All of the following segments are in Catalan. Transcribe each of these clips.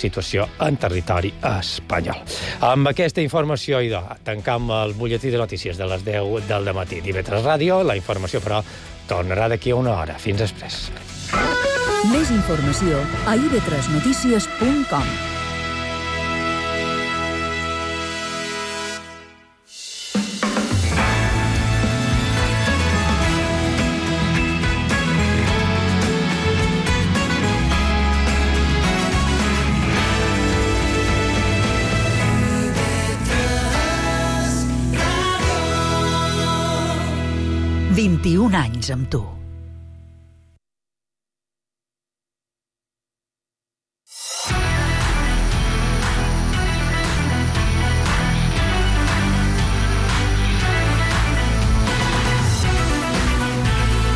situació en territori espanyol. Amb aquesta informació, tancam el butlletí de notícies de les 10 del dematí d'IV3 Ràdio. La informació, però, tornarà d'aquí a una hora. Fins després. Més informació a ib3notícies.com. Un anys amb tu.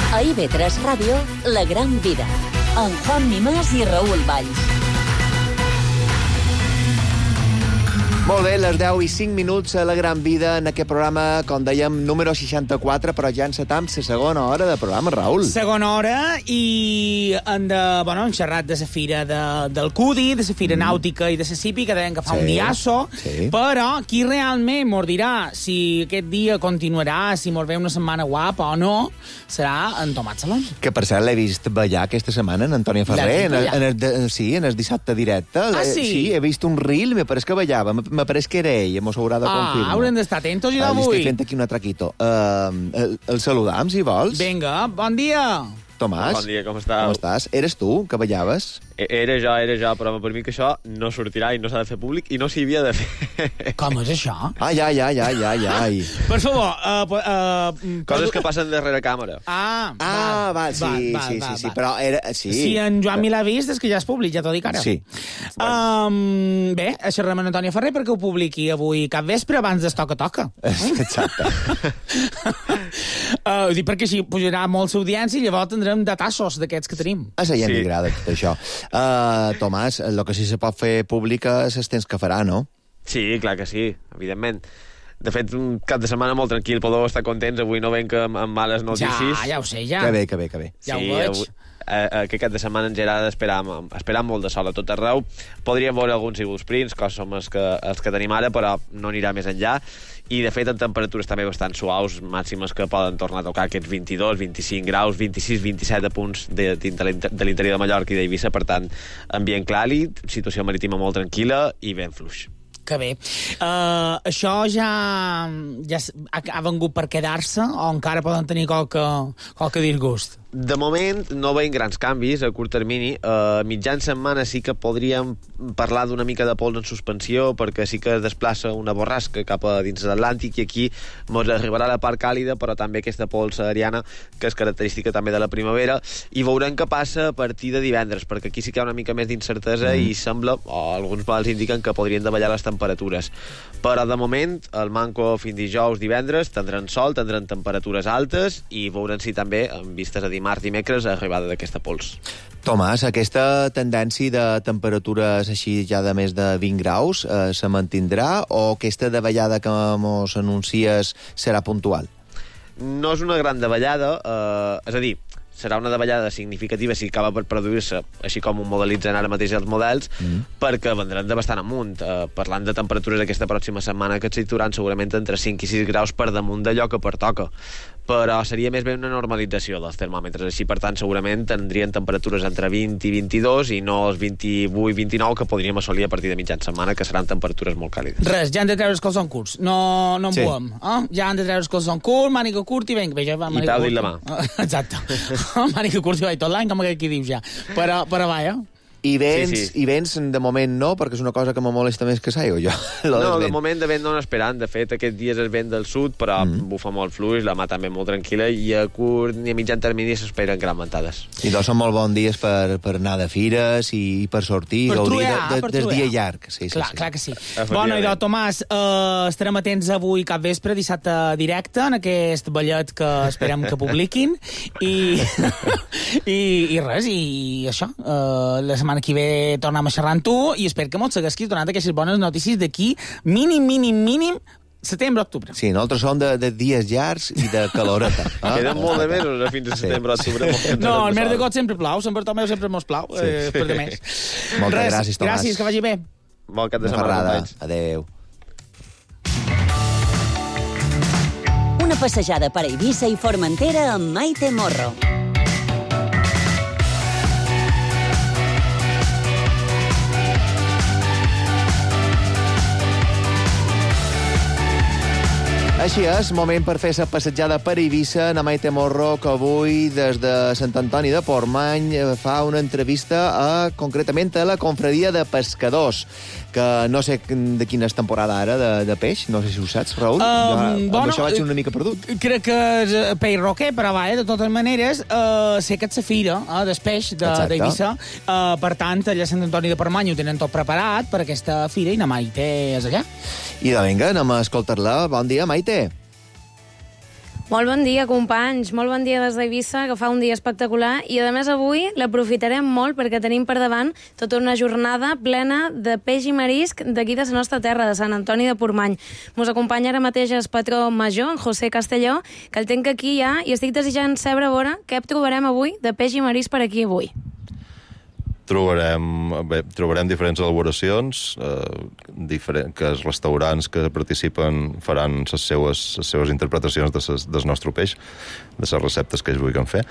A IV3 Ràdio, La Gran Vida, amb Juan Mimàs i Raül Valls. Molt bé, les 10 i 5 minuts a La Gran Vida en aquest programa, com dèiem, número 64, però ja encetam la segona hora de programa, Raül. Segona hora, i hem xerrat de la fira del Cudi, de la fira nàutica i de la Cipi, que deien que fa un diasso, però qui realment mos dirà si aquest dia continuarà, si mos ve una setmana guapa o no, serà en Tomàs Salom. Que, per cert, l'he vist ballar aquesta setmana en Antònia Ferrer, en el dissabte directe. Ah, sí? Sí, he vist un reel, me pareix que ballava. Me pareix que era ell, mos haurà de confirmar. Haurem d'estar atentos i d'avui. Li estic fent aquí un atraquito. El saludam, si vols. Vinga, bon dia. Tomàs. Bon dia, com estàs? Com estàs? Eres tu, que ballaves? Era jo, però per mi que això no sortirà i no s'ha de fer públic i no s'hi havia de fer. Com és això? Ai. Per favor... Coses que passen darrere càmera. Val, sí, però era... Sí. Si en Joan mi l'ha vist, és que ja és públic, ja t'ho dic ara. Sí. Bé, xerrem amb Antònia Ferrer perquè ho publiqui avui cap vespre abans d'es toca. Exacte. Dic perquè així pujarà molt l'audiència i llavors tindrem datassos d'aquests que tenim. A la gent li agrada tot això. Tomàs, el que sí se pot fer pública és els temps que farà, no? Sí, clar que sí, evidentment. De fet, un cap de setmana molt tranquil, podeu estar contents. Avui no venc amb males notícies. Ja ho sé, ja. Que bé. Ja ho veig. Aquest cap de setmana ens era d'esperar molt de sol a tot arreu. Podríem veure alguns iguals prints, que som els que tenim ara, però no anirà més enllà. I, de fet, en temperatures també bastant suaus, màximes que poden tornar a tocar aquests 22, 25 graus, 26, 27 punts de l'interior de Mallorca i d'Eivissa. Per tant, ambient càlid, situació marítima molt tranquil·la i ben fluix. Que bé. Això ja ha vengut per quedar-se o encara poden tenir qualque disgust? De moment no veiem grans canvis a curt termini. Mitjan setmana sí que podríem parlar d'una mica de pols en suspensió, perquè sí que es desplaça una borrasca cap a dins de l'Atlàntic i aquí ens arribarà la part càlida, però també aquesta pols aeriana que és característica també de la primavera, i veurem què passa a partir de divendres, perquè aquí sí que hi ha una mica més d'incertesa i sembla, o alguns models indiquen que podrien davallar les temperatures. Però de moment el manco fins dijous, divendres tindran sol, tindran temperatures altes i veurem si també, en vistes a dimarts, dimecres, arribada d'aquesta pols. Tomàs, aquesta tendència de temperatures així ja de més de 20 graus se mantindrà o aquesta davallada que mos anuncies serà puntual? No és una gran davallada, és a dir, serà una davallada significativa si acaba per produir-se, així com ho modelitzen ara mateix els models, perquè vendran de bastant amunt. Parlant de temperatures aquesta pròxima setmana que es situaran segurament entre 5 i 6 graus per damunt d'allò que pertoca. Però seria més bé una normalització dels termòmetres. Així, per tant, segurament tindrien temperatures entre 20 i 22 i no els 28 i 29 que podríem assolir a partir de mitjan setmana, que seran temperatures molt càlides. Res, ja han de treure els calçons curts. No en buem. Ja han de treure els calçons curts, màniga curt i vinga. I peu dit la mà. Exacte. Màniga curt i tot l'any, com aquí dius ja. Però vaja. I vents, de moment no, perquè és una cosa que me molesta més que s'aigua, jo. No, de moment de vent no n'esperant. De fet, aquests dies es vent del sud, però bufa molt fluix, la mà també molt tranquil·la, i a curt ni a mitjan termini s'esperen gran ventades. I doncs són molt bons dies per anar de fires i per sortir, gaudir del dia llarg. Clar que sí. Bueno, i Tomàs, estarem atents avui cap vespre, dissabte directe, en aquest ballet que esperem que publiquin, i res, i això, la setmana que ve tornem a xerrar amb tu i espero que mos segueixis donant aquestes bones notícies d'aquí mínim Setembre-octubre. Sí, nosaltres som de dies llargs i de caloreta. Queden molt de mesos fins a setembre-octubre. No, el mes d'agost sempre plau, Sant Bartomeu sempre mos plau, per de més. Moltes gràcies, Tomàs. Gràcies, que vagi bé. Bon cap de setmana, companys. Adéu. Una passejada per Eivissa i Formentera amb Maite Morro. Així és, moment per fer la passejada per Eivissa. Na Maite Morro, que avui, des de Sant Antoni de Portmany, fa una entrevista concretament a la confraria de pescadors, que no sé de quina és temporada ara de peix, no sé si ho saps, Raül. Amb això vaig una mica perdut. Crec que és peix roquer, però de totes maneres, sé que és la fira del peix d'Eivissa. Per tant, allà a Sant Antoni de Portmany ho tenen tot preparat per aquesta fira i na Maite és allà. I vinga, anem a escoltar-la. Bon dia, Maite. Molt bon dia, companys. Molt bon dia des d'Eivissa, que fa un dia espectacular. I, a més, avui l'aprofitarem molt perquè tenim per davant tota una jornada plena de peix i marisc d'aquí de la nostra terra, de Sant Antoni de Portmany. Mos acompanya ara mateix el patró major, en José Castelló, que el tenc aquí ja, i estic desitjant saber a veure què trobarem avui de peix i marisc per aquí avui. Trobarem diferents elaboracions, que els restaurants que participen faran les seues interpretacions del nostre peix, de les receptes que ells vulguin fer.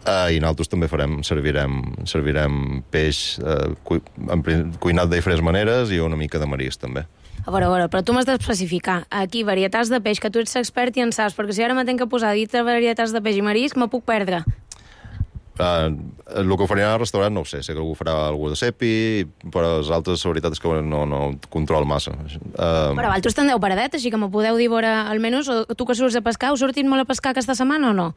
I nosaltres també servirem peix cuinat de diferents maneres i una mica de marisc, també. A veure, però tu m'has d'especificar. Aquí, varietats de peix, que tu ets expert i en saps, perquè si ara me tenc que posar a dir varietats de peix i marisc, me puc perdre. El que ho faran al restaurant no ho sé que algú farà algú de cepi, però els altres la veritat és que no control massa. Però vosaltres tindreu paradet, així que m'ho podeu dir almenys, o tu que surts a pescar, us sortit molt a pescar aquesta setmana o no?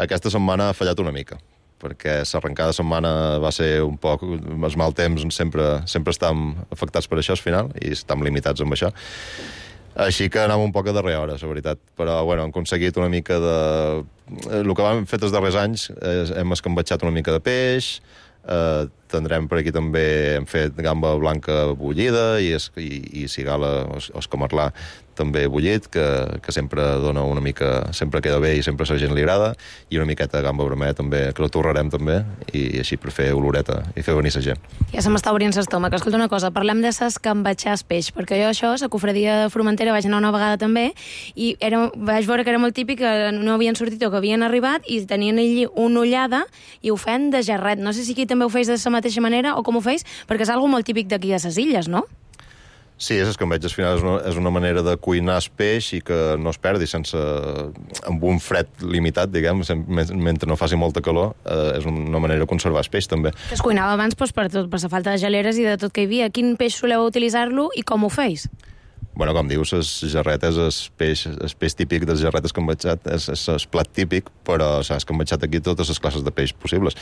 Aquesta setmana ha fallat una mica, perquè l'arrencada de setmana va ser un poc... Els mal temps sempre estem afectats per això al final, i estem limitats amb això. Així que anem un poc a darrera hora, la veritat. Però, bueno, hem aconseguit una mica de... El que vam fer els darrers anys hem escambatxat una mica de peix, tindrem per aquí també, hem fet gamba blanca bullida i cigala o escamarlà també bullit, que sempre dona una mica, sempre queda bé i sempre a la gent li agrada, i una miqueta de gamba vermella també, que la torrarem també, i així per fer oloreta i fer venir la gent. Ja se m'està obrint l'estómac. Escolta una cosa, parlem de s'escambatxar el peix, perquè jo això, la cofradia de Formentera, vaig anar una vegada també, i vaig veure que era molt típic, que no havien sortit o que havien arribat, i tenien allí una ullada i ho feien de jarret. No sé si aquí també ho feis de la mateixa manera o com ho feis, perquè és algo molt típic d'aquí a les illes, no? Sí, l'escambeig al final és una manera de cuinar el peix i que no es perdi amb un fred limitat, diguem, mentre no faci molta calor, és una manera de conservar el peix també. Es cuinava abans per la falta de geleres i de tot que hi havia. Quin peix soleu utilitzar-lo i com ho feis? Bueno, com dius, les jarretes, el peix típic del jarret escambatxat és el plat típic, però s'ha escambatxat aquí totes les classes de peix possibles.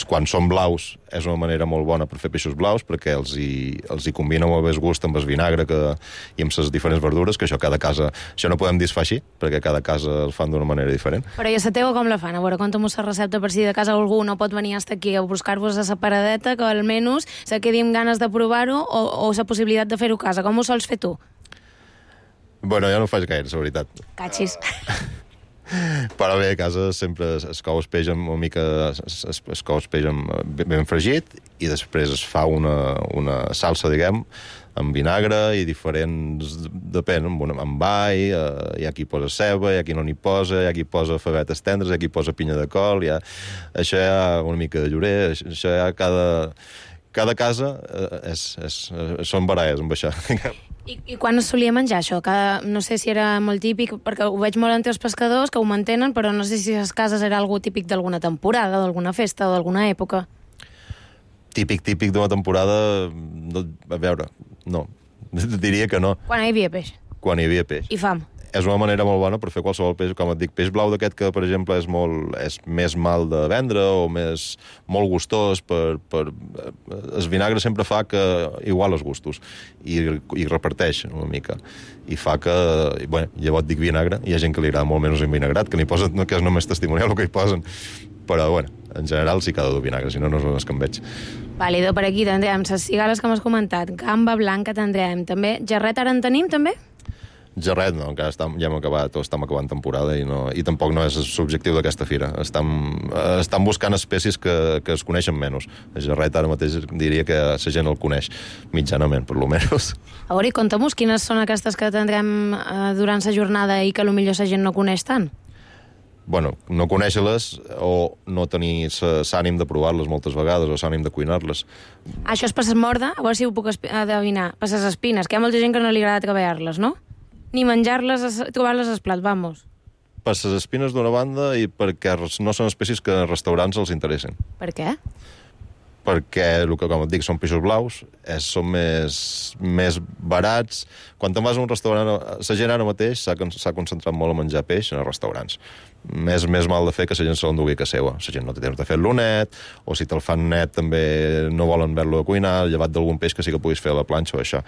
Quan són blaus és una manera molt bona per fer peixos blaus, perquè els hi combina molt bé el gust amb el vinagre i amb les diferents verdures, que això cada casa... Això no podem dir es fa així, perquè cada casa el fan d'una manera diferent. Però i a la teva com la fan? A veure, conta'm-vos la recepta per si de casa algú no pot venir hasta aquí a buscar-vos a la paradeta, que almenys se quedi amb ganes de provar-ho o la possibilitat de fer-ho a casa. Com ho sols fer tu? Bueno, jo no ho faig gaire, la veritat. Catxis. Però bé, a casa sempre es cou el peix amb una mica... Es cou el peix ben fregit i després es fa una salsa, diguem, amb vinagre i diferents... Depèn, amb all, hi ha qui posa ceba, hi ha qui no n'hi posa, hi ha qui posa favetes tendres, hi ha qui posa pinya de col, això hi ha una mica de llorer, això hi ha cada casa són baralles amb això. I quan es solia menjar això? No sé si era molt típic, perquè ho veig molt entre els pescadors, que ho mantenen, però no sé si a les cases era algú típic d'alguna temporada, d'alguna festa o d'alguna època. Típic d'una temporada... A veure, no. Diria que no. Quan hi havia peix? Quan hi havia peix. I fam. És una manera molt bona per fer qualsevol peix, com et dic, peix blau d'aquest que, per exemple, és més mal de vendre o molt gustós. El vinagre sempre fa que igual els gustos i reparteix una mica. I fa que, bueno, llavors dic vinagre, hi ha gent que li agrada molt menys el vinagrat, que és només testimonial el que hi posen. Però, bueno, en general sí que ha de dur vinagre, si no, no és un escambeig. Vàlido, per aquí tindrem les cigales que m'has comentat, gamba blanca tindrem, també. Jarret ara en tenim, també? Ja res, no, encara ja hem acabat, o estem acabant temporada i tampoc no és l'objectiu d'aquesta fira. Estan buscant espècies que es coneixen menys. El jarret ara mateix diria que la gent el coneix mitjanament, per lo menys. A veure, conta'm-nos quines són aquestes que tindrem durant la jornada i que potser la gent no coneix tant. Bueno, no conèixer-les o no tenir l'ànim de provar-les moltes vegades o l'ànim de cuinar-les. Això és per s'esmorda? A veure si ho puc adivinar. Per les espines, que hi ha molta gent que no li agrada treballar-les, no? Ni menjar-les, trobar-les al plat, vamos. Per les espines d'una banda i perquè no són espècies que als restaurants els interessen. Per què? Perquè, com et dic, són peixos blaus, són més barats. Quan te'n vas a un restaurant, la gent ara mateix s'ha concentrat molt a menjar peix en els restaurants. Més mal de fer que la gent se l'endugui a casa seva. La gent no té temps de fer-lo net, o si te'l fan net també no volen ver-lo a cuinar, llevat d'algun peix que sí que puguis fer a la planxa o això.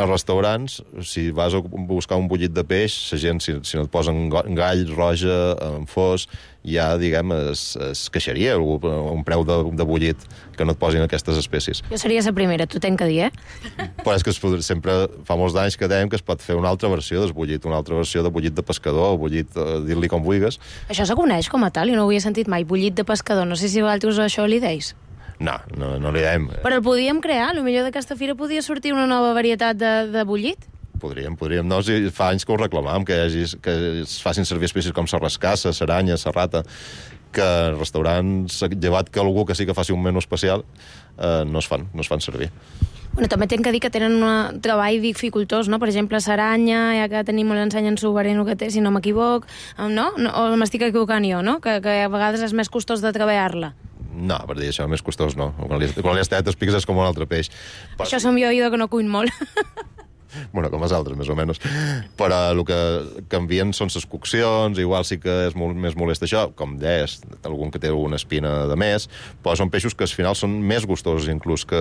Als restaurants, si vas a buscar un bullit de peix, la gent, si no et posen gall, roja, fos, ja, diguem, es queixaria un preu de bullit que no et posin aquestes espècies. Jo seria la primera, t'ho tenc que dir, Però és que sempre fa molts anys que dèiem que es pot fer una altra versió del bullit, una altra versió de bullit de pescador, bullit, dir-li com vulguis. Això se coneix com a tal, i no ho havia sentit mai, bullit de pescador. No sé si vosaltres això li deis. No li dèiem. Però el podíem crear, potser d'aquesta fira podia sortir una nova varietat de bullit. Podríem. No, si fa anys que ho reclamàvem, que es facin servir espècies com la rascassa, l'aranya, la rata, que els restaurants, llevat que algú que sí que faci un menú especial, no es fan servir. Bueno, també tinc que dir que tenen un treball dificultós, no? Per exemple, l'aranya, ja que tenim l'ensenya en Soberano que té, si no m'equivoc, no? O m'estic equivocant jo, no? Que a vegades és més costós de treballar-la. No, per dir això, més costós no. Quan li has tallat els pics és com un altre peix. Això som jo que no cuin molt. Bueno, com els altres, més o menys. Però el que canvien són les coccions, igual sí que és més molest això, com deies, algun que té alguna espina de més, però són peixos que al final són més gustosos inclús que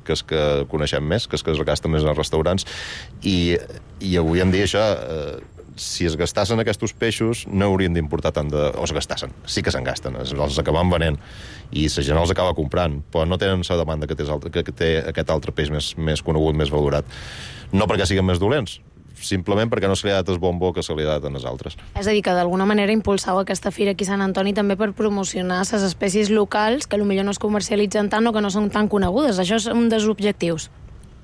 els que coneixem més, que els que es gasten més als restaurants, i avui en dia això... si es gastassin aquests peixos, no haurien d'importar tant de... O es gastassen, sí que se'n gasten, els acaben venent, i la gent els acaba comprant, però no tenen la demanda que té aquest altre peix més conegut, més valorat. No perquè siguin més dolents, simplement perquè no se li ha dat el bombo que se li ha dat a les altres. És a dir, que d'alguna manera impulsau aquesta fira aquí a Sant Antoni també per promocionar les espècies locals que potser no es comercialitzen tant o que no són tan conegudes. Això és un dels objectius.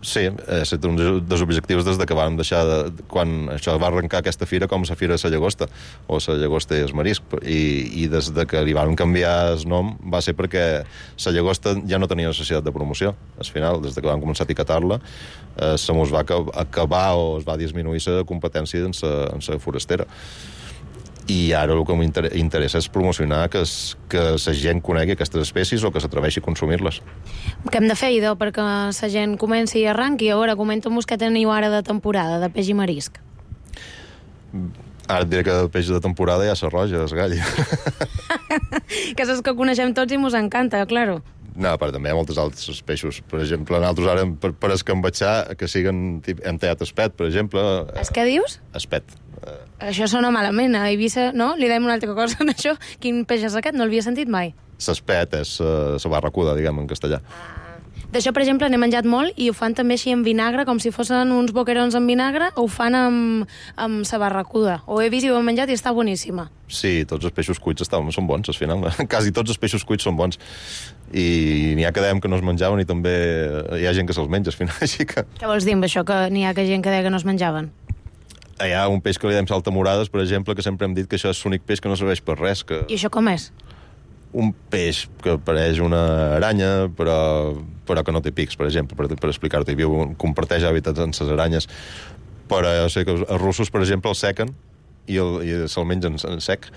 Sí, és un dels objectius des que vam deixar quan això va arrencar aquesta fira com la Fira de la Llagosta, o la Llagosta i el Marisc, i des que li van canviar el nom va ser perquè la Llagosta ja no tenia necessitat de promoció. Al final, des que vam començar a etiquetar-la, se mos va acabar o es va disminuir la competència en la forastera. I ara el que m'interessa és promocionar que la gent conegui aquestes espècies o que s'atreveixi a consumir-les. Què hem de fer, idò, perquè la gent comenci i arranqui? A veure, comenta'm-nos què teniu ara de temporada, de peix i marisc. Ara et diré que de peix de temporada ja s'arroja, es gall. Que és els que coneixem tots i mos encanta, claro. No, però també hi ha moltes altres peixos. Per exemple, nosaltres ara, per escambatxar, que siguen... Hem tallat espet, per exemple. És què dius? Espet. Això sona malament. A Eivissa, no? Li dèiem una altra cosa en això. Quin peix és aquest? No l'havia sentit mai. L'espet és la barracuda, diguem, en castellà. D'això, per exemple, n'he menjat molt i ho fan també així en vinagre, com si fossin uns boquerons en vinagre, o ho fan amb sa barracuda. Ho he vist i ho he menjat i està boníssima. Sí, tots els peixos cuits són bons, al final. Quasi tots els peixos cuits són bons. I n'hi ha que dèiem que no es menjaven i també hi ha gent que se'ls menja, al final. Així que... Què vols dir amb això, que n'hi ha gent que deia que no es menjaven? Hi ha un peix que li dèiem saltamorades, per exemple, que sempre hem dit que això és l'únic peix que no serveix per res. I això com és? Un peix que pareix una aranya, però que no té pics, per exemple, per explicar-t'ho. Comparteix hàbitats amb les aranyes. Però jo sé que els russos, per exemple, el sequen i se'l mengen sec.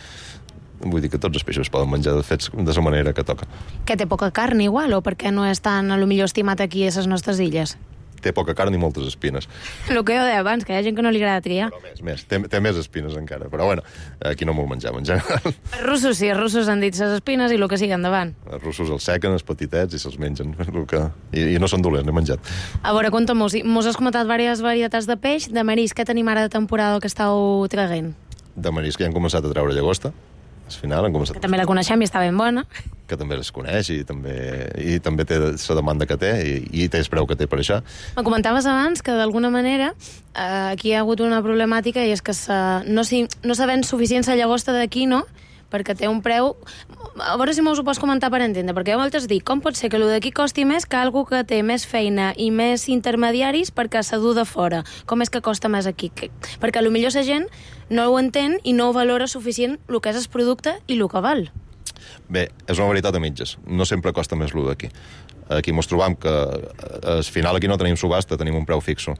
Vull dir que tots els peixos poden menjar fets de la manera que toca. Que té poca carn, igual, o perquè no és tan, a lo millor, estimat aquí a les nostres illes? Té poca carn i moltes espines. El que jo deia abans, que hi ha gent que no li agrada triar. Però té més espines encara. Però bueno, aquí no m'ho menjam, en general. Els russos sí, els russos han dit les espines i el que sigui endavant. Els russos els sequen, els petitets, i se'ls mengen. I no són dolents, n'he menjat. A veure, conta'm-nos, mos has comentat diverses varietats de peix, de marisc, què tenim ara de temporada que estàu traguent? De marisc ja hem començat a treure llagosta. Al final han començat... Que també la coneixem i està ben bona. que també es coneix i també té la demanda que té i té el preu que té per això. Me comentaves abans que d'alguna manera aquí hi ha hagut una problemàtica i és que no se ven suficient la llagosta d'aquí, no? Perquè té un preu... A veure si m'ho pots comentar per entendre, perquè jo moltes dic, com pot ser que el d'aquí costi més que algú que té més feina i més intermediaris perquè s'ha dut de fora? Com és que costa més aquí? Perquè potser la gent no ho entén i no ho valora suficient el que és el producte i el que val. Bé, és una veritat a mitges. No sempre costa més el d'aquí. Aquí mos trobam que al final aquí no tenim subhasta, tenim un preu fixo.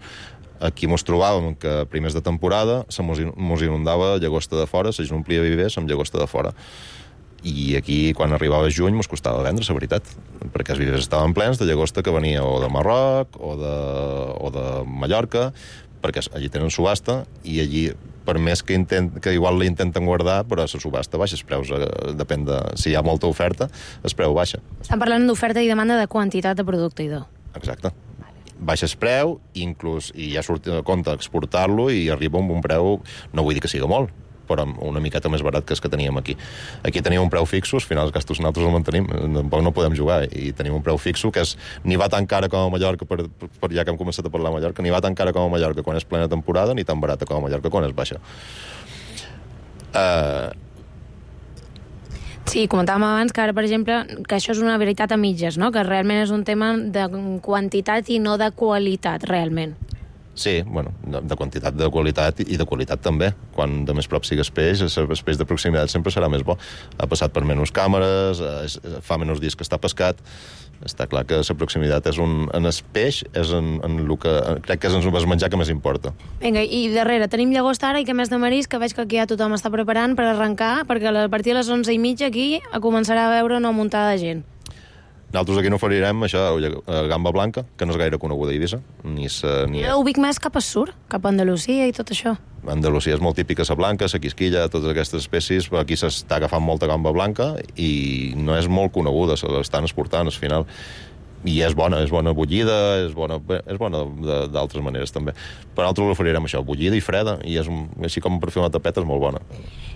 Aquí mos trobàvem que primers de temporada mos inundava llagosta de fora, se omplia vivers amb llagosta de fora. I aquí, quan arribava juny, mos costava vendre, la veritat, perquè els vivers estaven plens de llagosta que venia o de Marroc o de Mallorca, perquè allí tenen subhasta i allí, per més que igual la intenten guardar, però la subhasta baixa, els preus, depèn de si hi ha molta oferta, el preu baixa. Estan parlant d'oferta i demanda de quantitat de producte, idò. Exacte. Baixa el preu, inclús, i ja surt a compte exportar-lo i arriba amb un preu, no vull dir que sigui molt, però una miqueta més barat que els que teníem aquí. Aquí teníem un preu fixo, al final els gastos nosaltres el mantenim, tampoc no podem jugar, i tenim un preu fixo que ni va tan cara com a Mallorca, per ja que hem començat a parlar de Mallorca, ni va tan cara com a Mallorca quan és plena temporada, ni tan barata com a Mallorca quan és baixa. Sí, comentàvem abans que ara, per exemple, que això és una veritat a mitges, no? Que realment és un tema de quantitat i no de qualitat, realment. Sí, bueno, de quantitat, de qualitat i de qualitat també. Quan de més prop sigui el peix de proximitat sempre serà més bo. Ha passat per menys càmeres, fa menys dies que està pescat. Està clar que la proximitat és en el peix, és en el que crec que és el menjar que més importa. Vinga, i darrere tenim llagosta ara i que més de marisc, que veig que aquí ja tothom està preparant per arrencar, perquè a partir de les 11:30 aquí començarà a veure una muntada de gent. Nosaltres aquí no oferirem això, gamba blanca, que no és gaire coneguda a Eivissa. Jo ho vic més cap al sur, cap a Andalusia i tot això. Andalusia és molt típica la blanca, la quisquilla, totes aquestes espècies, però aquí s'està agafant molta gamba blanca i no és molt coneguda, se l'estan exportant al final. I és bona bullida, és bona d'altres maneres també. Per nosaltres l'oferirem això, bullida i freda, i així com per fer una tapeta és molt bona.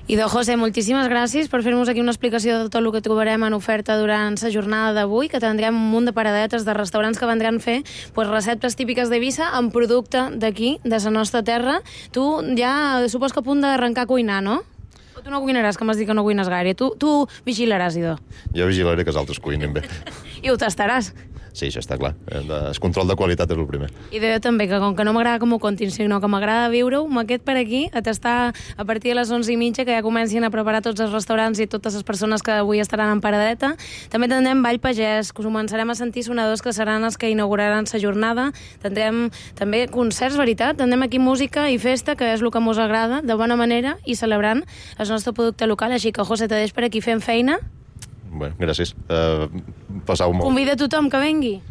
Idò, José, moltíssimes gràcies per fer-nos aquí una explicació de tot el que trobarem en oferta durant la jornada d'avui, que tindrem un munt de paradetes de restaurants que vendran fer receptes típiques d'Eivissa amb producte d'aquí, de la nostra terra. Tu ja supos que a punt d'arrencar a cuinar, no? O tu no cuinaràs, que m'has dit que no cuines gaire. Tu vigilaràs, Idò. Jo vigilaré que els altres cuinin bé. I ho tastaràs. Sí, això està clar. El control de qualitat és el primer. I jo també, que com que no m'agrada que m'ho contin, sinó que m'agrada viure-ho, m'aquest per aquí, a tastar a partir de les 11:30, que ja comencin a preparar tots els restaurants i totes les persones que avui estaran en paradeta. També tindrem Ball Pagès, que començarem a sentir sonadors que seran els que inauguraran la jornada. Tindrem també concerts, veritat? Tindrem aquí música i festa, que és el que mos agrada, de bona manera, i celebrant el nostre producte local. Així que, José, te deix per aquí fent feina. Bé, gràcies. Passau molt. Convida tothom que vengui.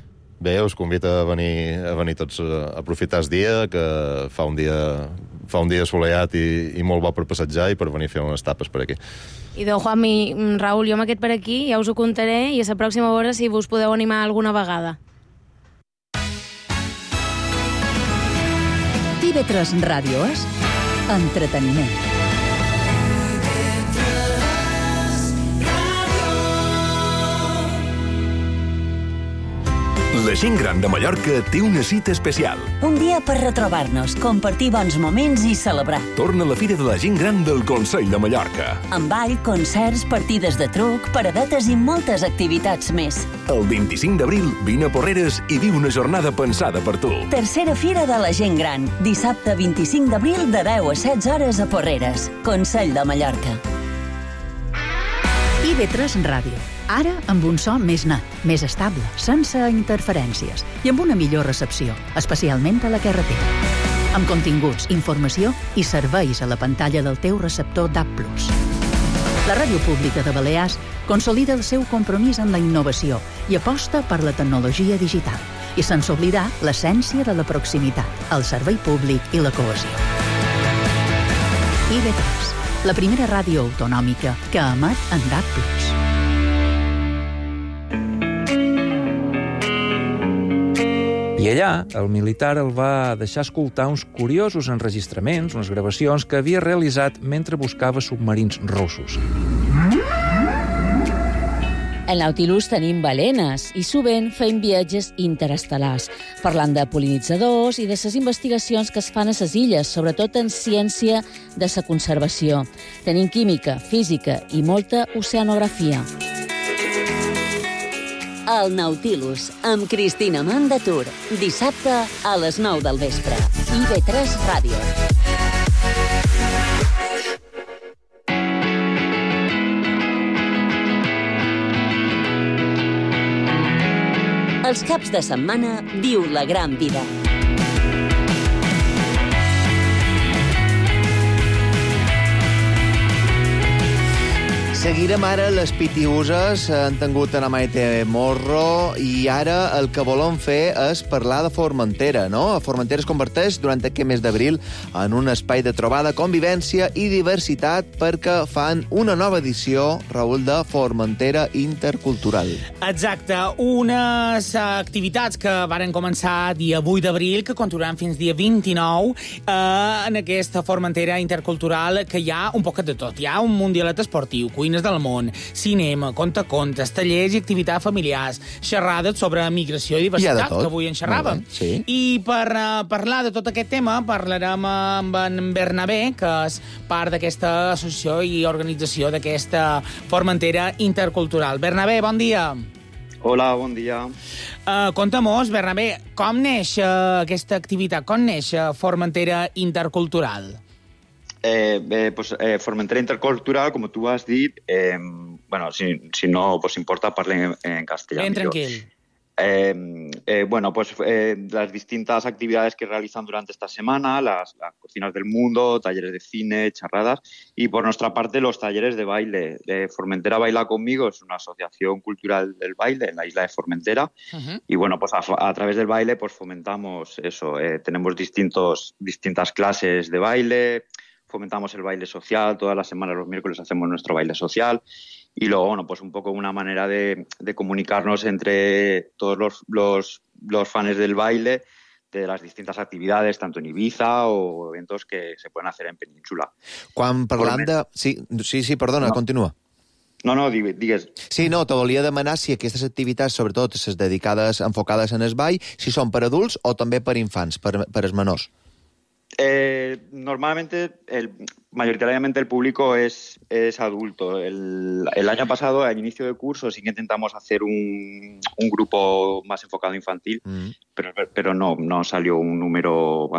Bé, us convido a venir tots a aprofitar el dia, que fa un dia assolellat i molt bo per passejar i per venir a fer unes tapes per aquí. I de Juan i Raül, jo m'aquest per aquí, ja us ho contaré, i a la pròxima hora si vos podeu animar alguna vegada. TV3 Ràdio és entreteniment. La gent gran de Mallorca té una cita especial. Un dia per retrobar-nos, compartir bons moments i celebrar. Torna la Fira de la Gent Gran del Consell de Mallorca. Amb ball, concerts, partides de truc, paradetes i moltes activitats més. El 25 d'abril vine a Porreres i viu una jornada pensada per tu. Tercera Fira de la Gent Gran. Dissabte 25 d'abril de 10 a 16 hores a Porreres. Consell de Mallorca. IB3 Ràdio. Ara amb un so més net, més estable, sense interferències i amb una millor recepció, especialment a la carretera. Amb continguts, informació i serveis a la pantalla del teu receptor DAB+. La Ràdio Pública de Balears consolida el seu compromís amb la innovació i aposta per la tecnologia digital. I sense oblidar l'essència de la proximitat, el servei públic i la cohesió. IB3, la primera ràdio autonòmica que emet en DAB+. I allà, el militar el va deixar escoltar uns curiosos enregistraments, unes gravacions que havia realitzat mentre buscava submarins russos. Al Nautilus tenim balenes i sovint fem viatges interestel·lars, parlant de pol·linitzadors i de les investigacions que es fan a les illes, sobretot en ciència de la conservació. Tenim química, física i molta oceanografia. El Nautilus, amb Cristina Mandatur. Dissabte a les 9 del vespre. IB3 Ràdio. Els caps de setmana viu la gran vida. Seguirem ara les pitiuses, han tingut a la Maite Morro i ara el que volem fer és parlar de Formentera, no? Formentera es converteix durant aquest mes d'abril en un espai de trobada, convivència i diversitat perquè fan una nova edició, Raül, de Formentera Intercultural. Exacte, unes activitats que varen començar dia 8 d'abril, que continuaran fins dia 29, en aquesta Formentera Intercultural, que hi ha un poquet de tot. Hi ha un mundialet esportiu, cuines del món, cinema, contacontes, tallers i activitats familiars, xerrades sobre migració i diversitat, que avui en xerràvem. Sí. I per parlar de tot aquest tema parlarem amb en Bernabé, que és part d'aquesta associació i organització d'aquesta Formentera Intercultural. Bernabé, bon dia. Hola, bon dia. Conta-mos, Bernabé, com neix aquesta activitat? Com neix Formentera Intercultural? Formentera Intercultural, como tú has dicho, si no pues importa, parle en castellano. Bien, tranquilo. Las distintas actividades que realizan durante esta semana, las cocinas del mundo, talleres de cine, charradas, y por nuestra parte los talleres de baile. Formentera Baila Conmigo es una asociación cultural del baile en la isla de Formentera. Uh-huh. Y bueno, pues a través del baile pues fomentamos eso. Tenemos distintas clases de baile, fomentamos el baile social, todas las semanas, los miércoles, hacemos nuestro baile social. Y luego, bueno, pues un poco una manera de comunicarnos entre todos los fans del baile, de las distintas actividades, tanto en Ibiza o eventos que se pueden hacer en Península. Quan parlant de... Sí, perdona, continua. No, digues. Sí, no, te volia demanar si aquestes activitats, sobretot les dedicades, enfocades en el ball, si són per adults o també per infants, per els menors. Normalmente, mayoritariamente el público es adulto. El año pasado, al inicio de curso, sí que intentamos hacer un grupo más enfocado infantil, pero no salió un número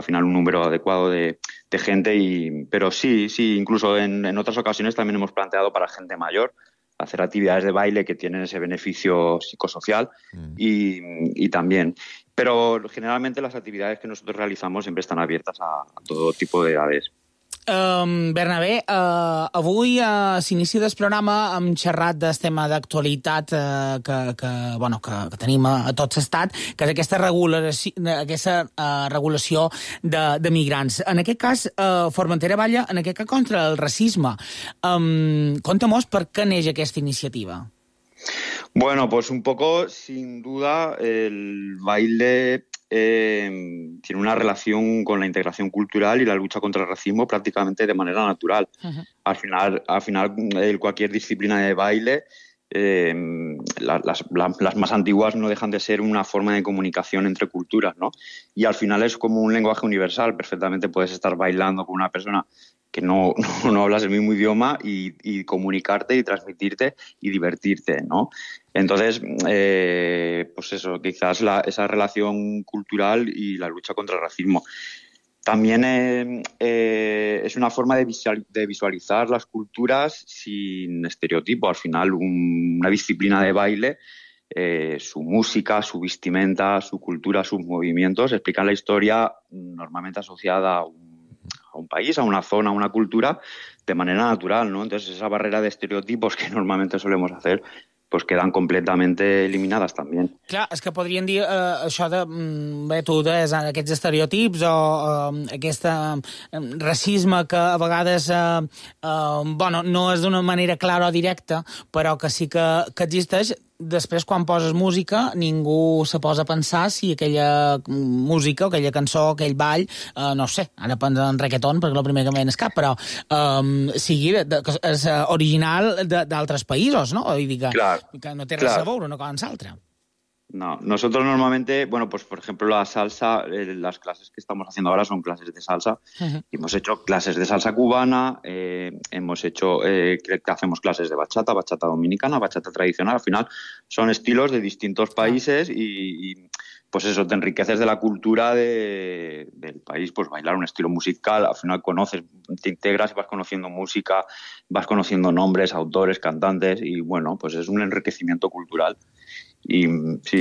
adecuado de gente. Pero sí, incluso en otras ocasiones también hemos planteado para gente mayor hacer actividades de baile que tienen ese beneficio psicosocial y también. Pero generalmente las actividades que nosotros realizamos siempre están abiertas a todo tipo de edades. Bernabé, avui s'inicia del programa hem xerrat del tema d'actualitat que tenim a tot l'estat, que és aquesta regulació de migrants. En aquest cas, Formentera balla contra el racisme. Conta-mos per què neix aquesta iniciativa. Bueno, pues un poco, sin duda, el baile tiene una relación con la integración cultural y la lucha contra el racismo prácticamente de manera natural. Uh-huh. Al final, cualquier disciplina de baile, las más antiguas no dejan de ser una forma de comunicación entre culturas, ¿no? Y al final es como un lenguaje universal. Perfectamente puedes estar bailando con una persona que no hablas el mismo idioma y comunicarte y transmitirte y divertirte, ¿no? Entonces, pues eso, quizás esa relación cultural y la lucha contra el racismo. También es una forma de visualizar las culturas sin estereotipo. Al final, una disciplina de baile, su música, su vestimenta, su cultura, sus movimientos, explican la historia normalmente asociada a un país, a una zona, a una cultura, de manera natural, ¿no? Entonces, esa barrera de estereotipos que normalmente solemos hacer, pues quedan completamente eliminadas també. Clar, és que podrien dir això de, tu deies, aquests estereotips o aquest racisme que a vegades no és d'una manera clara o directa, però que sí que existeix. després, quan poses música, ningú se posa a pensar si aquella música, aquella cançó, aquell ball, no sé, ara penso en reggaeton, perquè és el primer que em ve al cap, però sigui és original d'altres països, ¿no? Vull dir que no té res a veure una cosa amb l'altra. No, nosotros normalmente, bueno, pues por ejemplo la salsa, las clases que estamos haciendo ahora son clases de salsa. Y hemos hecho clases de salsa cubana, hemos hecho, que hacemos clases de bachata, bachata dominicana, bachata tradicional. Al final son estilos de distintos países y pues eso, te enriqueces de la cultura del país, pues bailar un estilo musical, al final conoces, te integras y vas conociendo música, vas conociendo nombres, autores, cantantes y bueno, pues es un enriquecimiento cultural. I sí.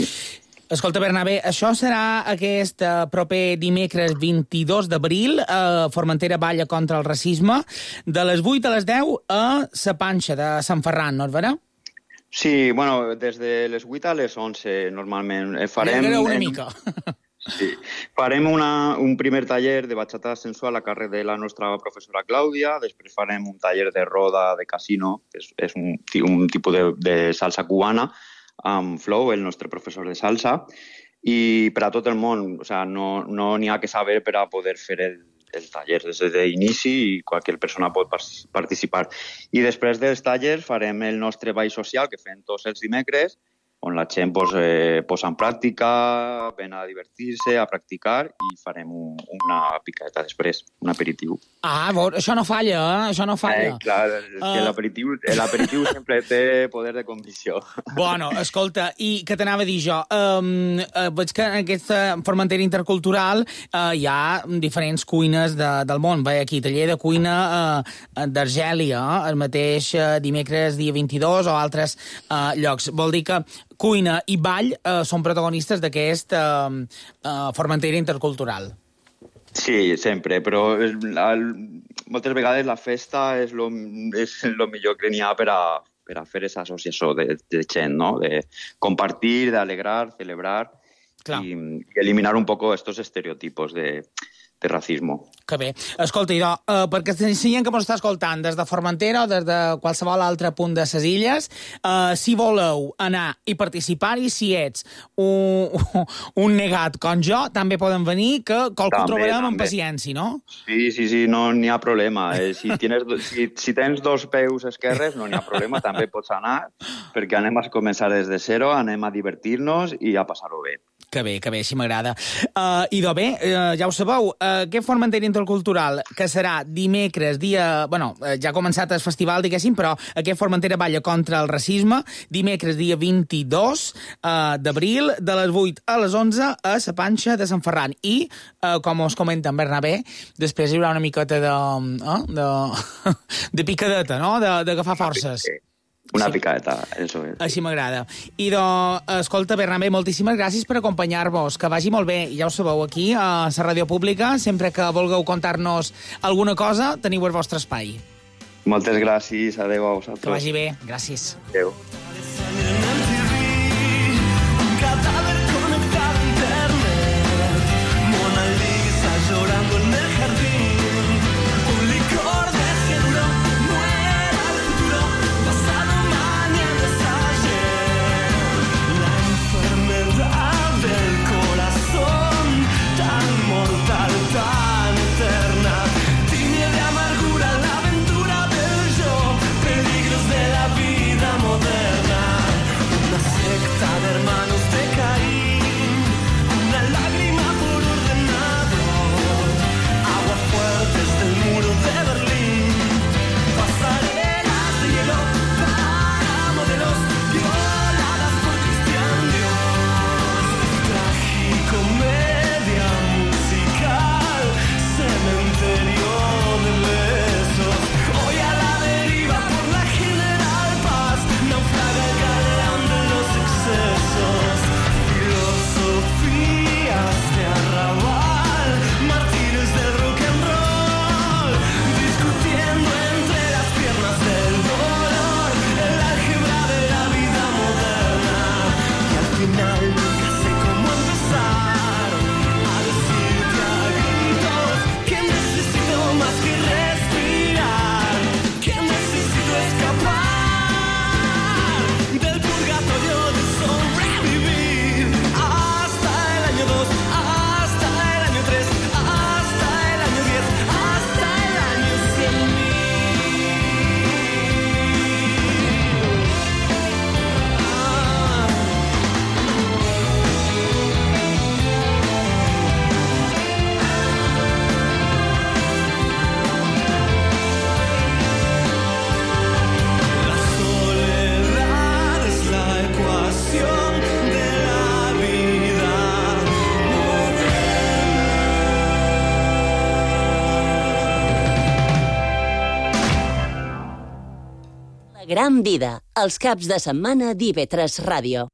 Escolta, Bernabé, això serà aquest proper dimecres 22 d'abril, Formentera balla contra el racisme, de les 8 a les 10 a la Panxa de Sant Ferran, no és vera? Sí, bueno, des de les 8 a les 11 normalment. Farem una mica. Sí. Farem un primer taller de bachata sensual a càrrec de la nostra professora Clàudia, després farem un taller de roda de casino, que és un tipus de salsa cubana, amb Flow, el nostre professor de salsa, i per a tot el món, o sea, no n'hi ha que saber per a poder fer el taller des d'inici i qualsevol persona pot participar. I després dels tallers farem el nostre ball social que fem tots els dimecres, on la gent posa en pràctica, ven a divertir-se, a practicar i farem una picadeta després, un aperitiu. Ah, això no falla, això no falla. Clar, que l'aperitiu sempre té poder de convicció. Bueno, escolta, i què t'anava a dir jo? Veig que en aquesta Formentera intercultural hi ha diferents cuines del món. Vaig aquí, taller de cuina d'Argèlia, el mateix dimecres dia 22 o altres llocs. Vol dir que cuina i ball són protagonistes d'aquest Formentera intercultural. Sí, sempre, però moltes vegades la festa és el millor que n'hi ha per a fer aquesta associació de gent, no? De compartir, d'alegrar, celebrar i eliminar un poco estos estereotipos de racismo. Que bé. Escolta, idò, perquè si gent que m'ho està escoltant des de Formentera o des de qualsevol altre punt de ses illes, si voleu anar i participar-hi, si ets un negat com jo, també poden venir, que qualcú trobarem amb paciència, no? Sí, no n'hi ha problema. Si tens dos peus esquerres, no n'hi ha problema, també pots anar, perquè anem a començar des de zero, anem a divertir-nos i a passar-ho bé. Que bé, així m'agrada. Idò, bé, ja ho sabeu, aquest Formentera intercultural, que serà dimecres, ja ha començat el festival, diguéssim, però aquest Formentera balla contra el racisme, dimecres, dia 22 d'abril, de les 8 a les 11, a la Panxa de Sant Ferran. I, com us comenta en Bernabé, després hi haurà una miqueta de picadeta, no?, d'agafar forces. Una picadeta, eso és. Així m'agrada. I escolta, Bernabé, moltíssimes gràcies per acompanyar-vos. Que vagi molt bé. Ja ho sabeu, aquí, a la ràdio pública, sempre que vulgueu contar-nos alguna cosa, teniu el vostre espai. Moltes gràcies. Adéu a vosaltres. Que vagi bé. Gràcies. Adéu. Peligros de la vida moderna. Gran Vida, els caps de setmana d'IV3 Ràdio.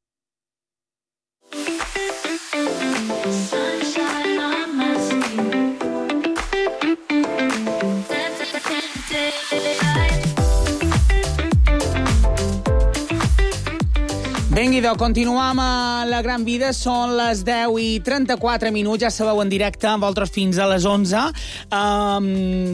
Vinga, continuem a la Gran Vida. Són les 10:34, ja sabeu, en directe amb vosaltres fins a les 11.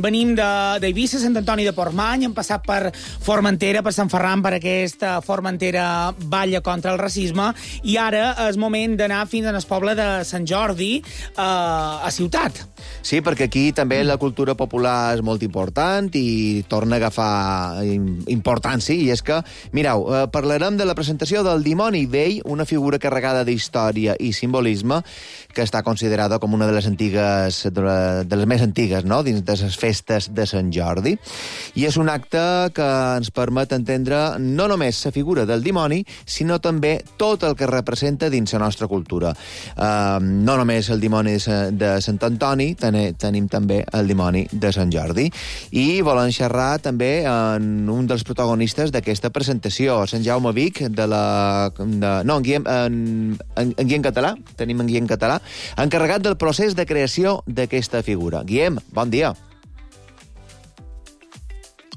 Venim d'Eivissa, Sant Antoni de Portmany, hem passat per Formentera, per Sant Ferran, per aquesta Formentera balla contra el racisme, i ara és moment d'anar fins al poble de Sant Jordi, a Ciutat. Sí, perquè aquí també la cultura popular és molt important i torna a agafar importància, i és que, mireu, parlarem de la presentació del Dimoni Vell, una figura carregada d'història i simbolisme que està considerada com una de les antigues, de les més antigues, no?, dins de les festes de Sant Jordi. I és un acte que ens permet entendre no només la figura del dimoni, sinó també tot el que representa dins la nostra cultura. No només el dimoni de Sant Antoni, tenim també el dimoni de Sant Jordi. I volem xerrar també en un dels protagonistes d'aquesta presentació, Sant Jaume Vic, en Guillem Català, tenim en Guillem Català, encarregat del procés de creació d'aquesta figura. Guillem, bon dia.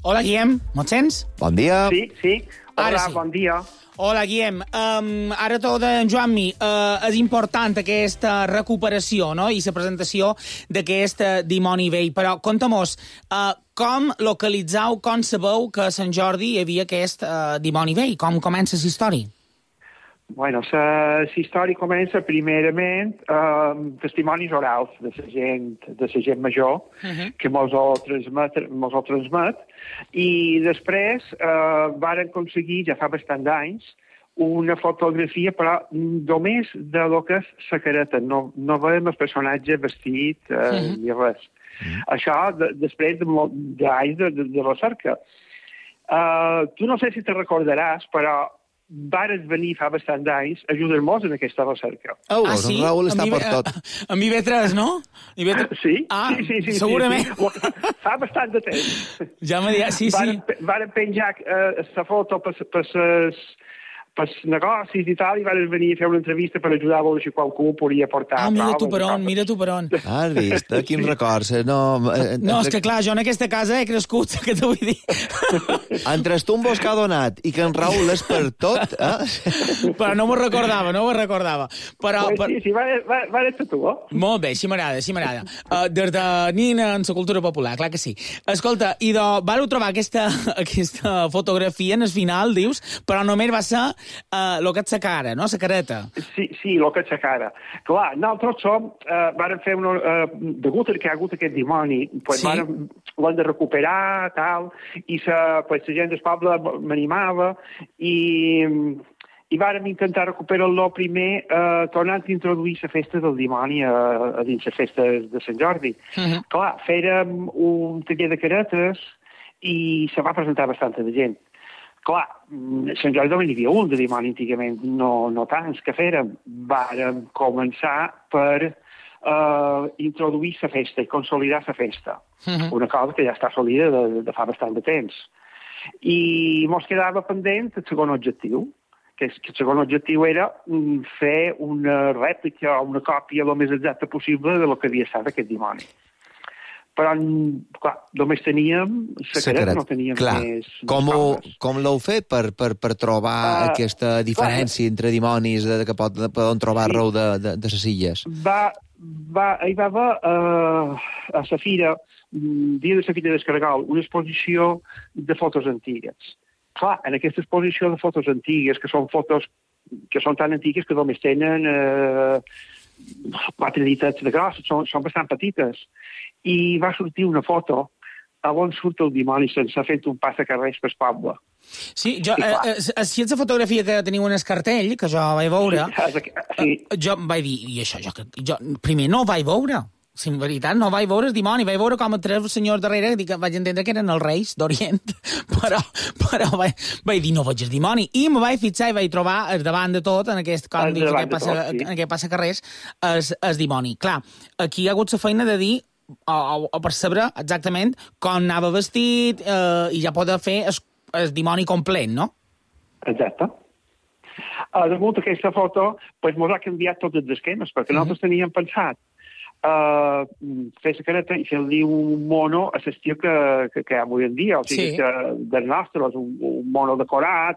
Hola, Guillem, me'n sents? Bon dia. Sí. Hola, bon dia. Hola, Guillem. Ara tot en Joanmi, és important aquesta recuperació, no?, i la presentació d'aquest dimoni vell, però conta'm-nos, com localitzeu, com sabeu que a Sant Jordi hi havia aquest dimoni vell? Com comença la història? Bueno, la història comença primerament amb testimonis orals de la gent major, que mos ho transmet, i després varen aconseguir, ja fa bastant d'anys, una fotografia, però només de lo que és la careta. No veiem el personatge vestit ni res. Això després d'anys de recerca. Tu no sé si te recordaràs, però vares venir fa bastant d'anys a ajudar-nos en aquesta recerca. Sí? Raül està per tot. Amb IB3, no? Sí. Sí, segurament. Sí. Fa bastant de temps. Ja m'ha dit, sí. Varen penjar la foto per negocis i tal, i van venir a fer una entrevista per ajudar a veure si qualcú podia portar... Mira tu per on. Has vist, quin records. No, és que clar, jo en aquesta casa he crescut, que t'ho vull dir. Entre tu un bosc que ha donat i que en Raül és per tot, Però no m'ho recordava. Però... Sí, va ser tu, Molt bé, així m'agrada. Des de nina en la cultura popular, clar que sí. Escolta, i vau trobar aquesta fotografia en el final, dius, però només va ser el que és la cara, no? La careta. Sí, el que és la cara. Clar, nosaltres vàrem fer degut que hi ha hagut aquest dimoni, l'hem de recuperar, tal, i la gent del poble m'animava, i vàrem intentar recuperar-lo primer tornant a introduir la festa del dimoni a dins les festes de Sant Jordi. Clar, fèrem un taller de caretes i se va presentar bastanta de gent. Clar, a Sant Jordi només n'hi havia un de dimoni antigament, no tants que fèrem. Vàrem començar per introduir la festa i consolidar la festa. Una cosa que ja està assolida de fa bastant de temps. I mos quedava pendent el segon objectiu, que el segon objectiu era fer una rèplica o una còpia el més exacta possible de lo que havia estat aquest dimoni. Però, clar, només teníem secret, no teníem més coses. Com l'heu fet per trobar aquesta diferència entre dimonis que poden trobar arreu de les illes? Hi va haver a la fira, dia de la Fira d'Escaragol, una exposició de fotos antigues. Clar, en aquesta exposició de fotos antigues, que són fotos que són tan antigues que només tenen 4 ditets de gros, són bastant petites. I va sortir una foto on surt el dimoni sense fer un passacarrers per poble. Sí, si és la fotografia que teniu en el cartell, que jo vaig veure, jo vaig dir, i això, jo primer no vaig veure. Si en veritat no vaig veure el dimoni, vaig veure com a 3 senyors darrere, que vaig entendre que eren els reis d'Orient, però vaig dir, no veig el dimoni. I me vaig fixar i vaig trobar davant de tot, en aquest còndic que passa carrers, el dimoni. Clar, aquí hi ha hagut la feina de dir o percebre exactament com anava vestit i ja poder fer el dimoni complet, no? Exacte. Damunt d'aquesta foto, pues, mos ha canviat tots els esquemes, perquè nosaltres teníem pensat fer la careta i fer-li un mono a l'estil que hi ha avui en dia, o sigui, que del nostre, un mono decorat,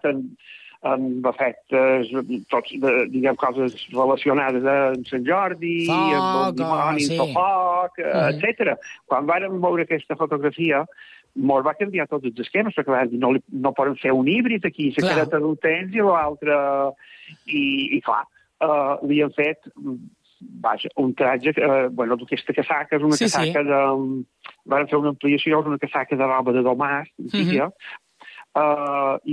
amb efectes, tots, diguem, coses relacionades amb Sant Jordi, amb el dimoni, el foc, etc. Quan vàrem veure aquesta fotografia, mos va canviar tots els esquemes, perquè vam dir, no poden fer un híbrid aquí, la careta d'un temps i l'altre, i clar, li han fet, vaja, un tratge, bueno, d'aquesta casaca és una casaca de... Van fer una ampliació, és una casaca de roba de domàs, i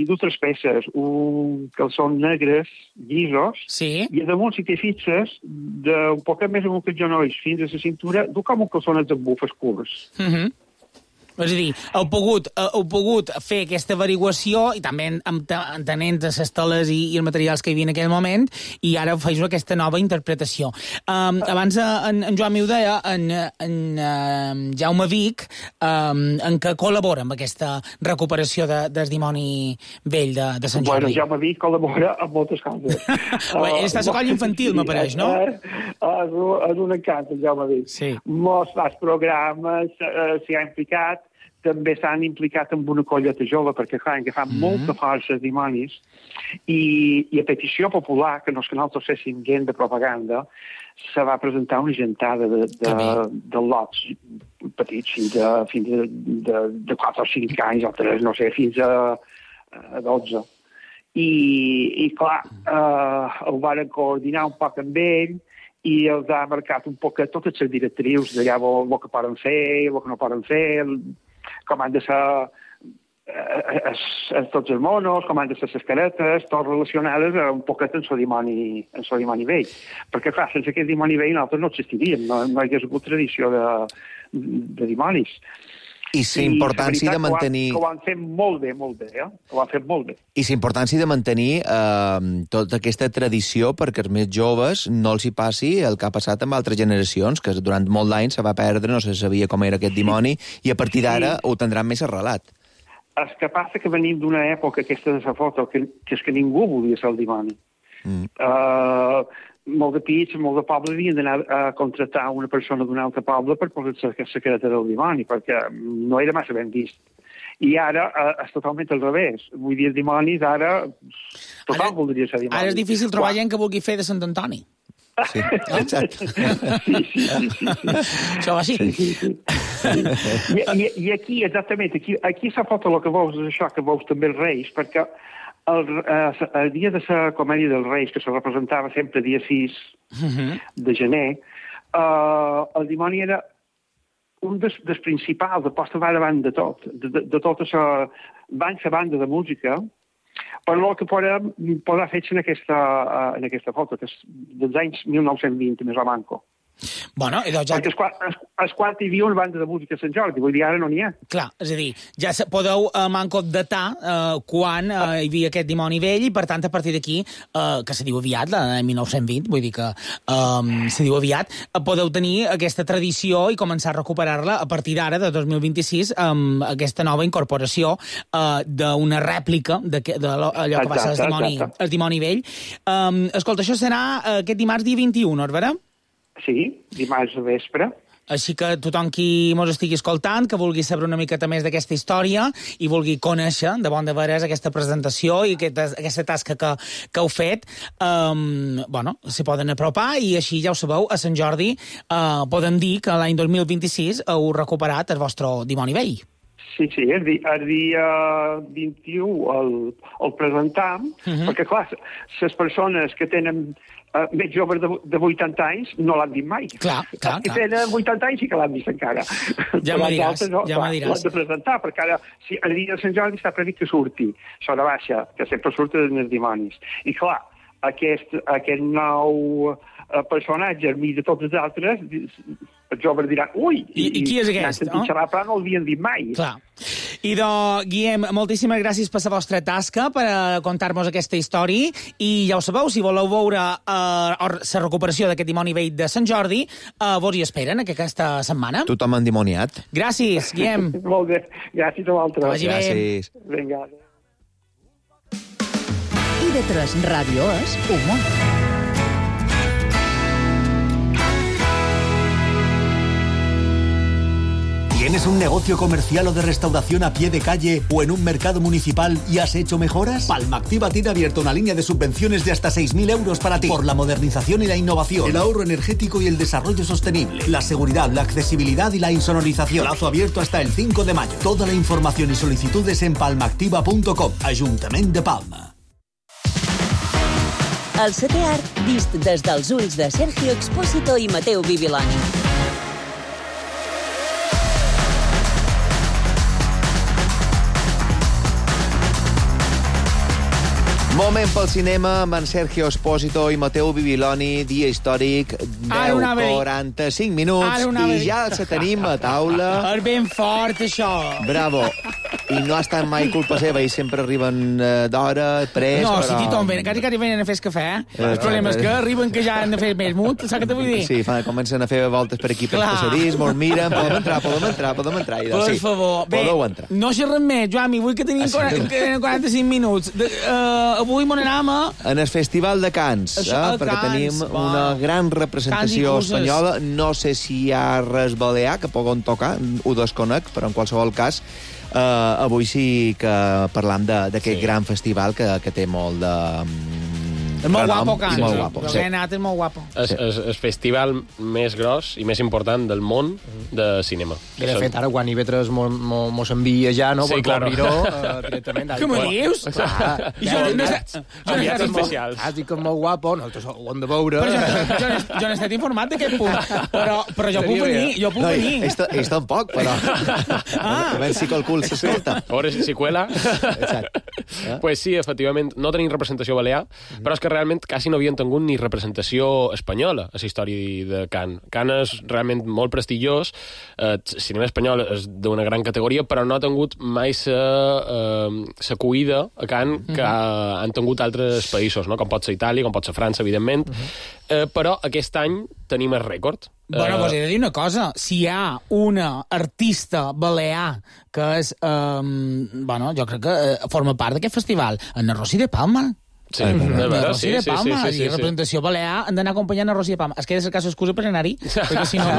d'altres peces, un calçons negres, llisos, i a damunt, si t'hi fixes, d'un poc més amunt que els genolls fins a la cintura, du com un calçonet de bufes curts. És a dir, heu pogut fer aquesta averiguació i també entenent les teles i els materials que hi havia en aquell moment i ara feu aquesta nova interpretació. Abans en Joan m'ho deia, en Jaume Vic, en què col·labora amb aquesta recuperació del dimoni vell de Sant Jordi? Bueno, Jaume Vic col·labora amb moltes coses. Ell està a la colla infantil, m'apareix, no? És un encant, el Jaume Vic. Molts programes s'hi ha implicat, també s'han implicat amb una colleta jove, perquè, clar, que fan molta força els dimonis, i a petició popular, que no és que nosaltres féssim gent de propaganda, se va presentar una gentada de lots petits, fins de 4 o 5 anys, o 3, no sé, fins a 12. I clar, ho van coordinar un poc amb ell, i els ha marcat un poc totes les directrius d'allà el que poden fer, el que no poden fer, com han de ser tots els monos, com han de ser les caretes, tot relacionades un poquet amb el dimoni vell. Perquè, clar, sense aquest dimoni vell nosaltres no existiríem, no hi hagués hagut tradició de dimonis. I la importància de mantenir... Que ho han fet molt bé, ho han fet molt bé. I la importància de mantenir tota aquesta tradició perquè els més joves no els hi passi el que ha passat amb altres generacions, que durant molt d'anys se va perdre, no se sabia com era aquest dimoni, i a partir d'ara ho tindran més arrelat. El que passa que venim d'una època, aquesta de la foto, que és que ningú volia ser el dimoni. Molt de pits, molt de poble havien d'anar a contractar una persona d'un altre poble per posar la secreta del dimoni, perquè no era massa ben vist. I ara és totalment al revés. Vull dir, els dimonis ara... Tothom voldria ser dimoni. Ara és difícil trobar gent que vulgui fer de Sant Antoni. Sí, exacte. Sí. Això va així. I aquí, exactament, aquí la foto el que veus és això, que veus també els Reis, perquè el dia de la comèdia dels Reis, que se representava sempre dia 6 de gener, el dimoni era un dels principals, de posta va davant de tot, de tota la banda de música, per el que podem posar fets en aquesta foto, que és dels anys 1920, més o manco. Bueno, perquè és quan hi havia una banda de música a Sant Jordi, vull dir, ara no n'hi ha. Clar, és a dir, ja podeu manco datar quan hi havia aquest dimoni vell i, per tant, a partir d'aquí, que se diu aviat, la 1920, vull dir que se diu aviat, podeu tenir aquesta tradició i començar a recuperar-la a partir d'ara, de 2026, amb aquesta nova incorporació d'una rèplica d'allò que va ser el dimoni vell. Escolta, això serà aquest dimarts dia 21, no és vera? Sí, dimarts a vespre. Així que tothom qui mos estigui escoltant, que vulgui saber una miqueta més d'aquesta història i vulgui conèixer de bon de veres aquesta presentació i aquesta tasca que heu fet, s'hi poden apropar i així ja ho sabeu, a Sant Jordi podem dir que l'any 2026 heu recuperat el vostre dimoni vell. Sí, el dia 21 el presentam, perquè, clar, les persones que tenen més joves de 80 anys no l'han vist mai. Clar. Que tenen 80 anys sí que l'han vist encara. Ja m'ho diràs. L'han de presentar, perquè ara, el dia de Sant Jordi està previst que surti Sora Baixa, que sempre surten els dimonis. I, clar, aquest nou personatge, al mig de tots els altres, els joves diran, ui, i qui és aquest? No el havien dit mai. Clar. I Guillem, moltíssimes gràcies per la vostra tasca, per contar-nos aquesta història, i ja ho sabeu, si voleu veure la recuperació d'aquest dimoni vell de Sant Jordi, vos hi esperen aquesta setmana. Tothom endimoniat. Gràcies, Guillem. Molt bé, gràcies a vosaltres. Vagi bé. Gràcies. Vinga. TV3 Ràdio és humor. ¿Tienes un negocio comercial o de restauración a pie de calle o en un mercado municipal y has hecho mejoras? Palma Activa tiene abierta una línea de subvenciones de hasta 6.000 euros para ti. Por la modernización y la innovación, el ahorro energético y el desarrollo sostenible, la seguridad, la accesibilidad y la insonorización. Plazo abierto hasta el 5 de mayo. Toda la información y solicitudes en palmaactiva.com. Ayuntamiento de Palma. El setè art vist des dels ulls de Sergio Expósito i Mateu Bibiloni. Moment pel cinema amb en Sergio Expósito i Mateu Bibiloni, dia històric, 10:45 minuts, i ja els tenim a taula. És ben fort, això. Bravo. I no ha estat mai culpa seva, i sempre arriben d'hora, pres, no, però... si tothom ven, quasi venen a fer cafè. El problema és que arriben que ja han de fer més mut, saps què te vull dir? Sí, comencen a fer voltes per aquí, per passadís, molt miren, podem entrar. Per favor, bé, no xerrem més, Joami, vull que tenim 45 minuts. Avui m'on anem a... En el Festival de Cannes, perquè tenim una gran representació espanyola. No sé si hi ha res balear que poden tocar, ho desconec, però en qualsevol cas avui sí que parlam d'aquest gran festival que té molt de... És molt guapo, Cannes. Molt guapo, sí. És molt guapo. És el festival més gros i més important del món de cinema. I de fet, ara quan IB3 mos envia ja, no? Sí, clar. Directament. Què me dius? Enviats especials. Has dit que és molt guapo, nosaltres ho hem de veure. Jo n'he estat informat d'aquest punt, però jo puc venir. Ells tampoc, però... A veure si qualcú s'escolta. A veure si cuela. Pues sí, efectivament, no tenim representació balear, però és que realment quasi no havien tingut ni representació espanyola a la història de Cannes. Cannes és realment molt prestigiós, el cinema espanyol és d'una gran categoria, però no ha tingut mai la cuida a Cannes que han tingut altres països, no? Com pot ser Itàlia, com pot ser França, evidentment, però aquest any tenim el rècord. Bueno, doncs he de dir una cosa. Si hi ha una artista balear que és... jo crec que forma part d'aquest festival, en Rosy de Palma. Sí, Rosy de Palma. I representació balear han d'anar acompanyant a Rosy de Palma. Es queda cercar excusa per anar-hi, perquè si no...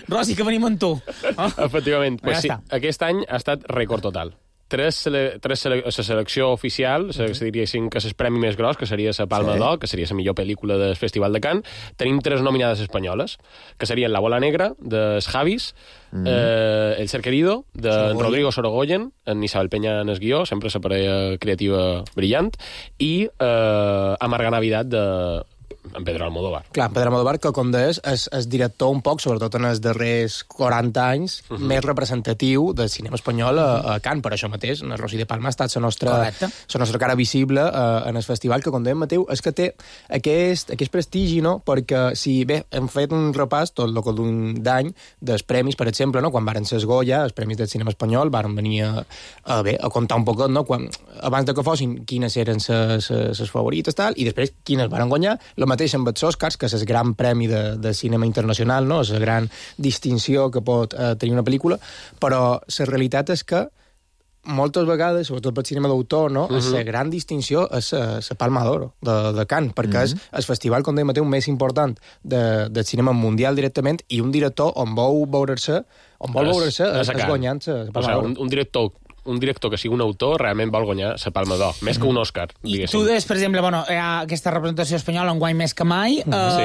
Rosy, que venim amb tu. Efectivament. Pues sí, aquest any ha estat rècord total. Tres la selecció oficial, se diria que és el premi més gros, que seria la Palma d'Or, que seria la millor pel·lícula del Festival de Cannes. Tenim 3 nominades espanyoles, que serien La bola negra, de Javis, El ser querido, de Rodrigo Sorogoyen, en Isabel Peña en el guió, sempre la parella creativa brillant, i Amarga Navidad, de en Pedro Almodóvar. Clar, en Pedro Almodóvar, que com deies, és director un poc, sobretot en els darrers 40 anys, més representatiu del cinema espanyol a Cannes. Per això mateix, en Rosy de Palma ha estat la nostra cara visible en el festival, que, com dèiem, Mateu, és que té aquest prestigi, no? Perquè, si bé, hem fet un repàs tot el que d'any dels premis, per exemple, no? Quan varen ser els Goya, els premis del cinema espanyol, varen venir a contar un poquet, no? Abans de que fossin quines eren les favorites, tal, i després quines varen guanyar. El mateix amb els Oscars, que és el gran premi de cinema internacional, no? És la gran distinció que pot tenir una pel·lícula, però la realitat és que moltes vegades, sobretot pel cinema d'autor, no? La gran distinció és la Palma d'Or de Cannes, perquè és el festival, com dèiem, més important del cinema mundial directament, i un director on vol veure-se és guanyant la Palma d'Or. Un director que sigui un autor realment vol guanyar la Palma d'Or, més que un Òscar, diguéssim. I tu deies, per exemple, hi ha aquesta representació espanyola en guany més que mai.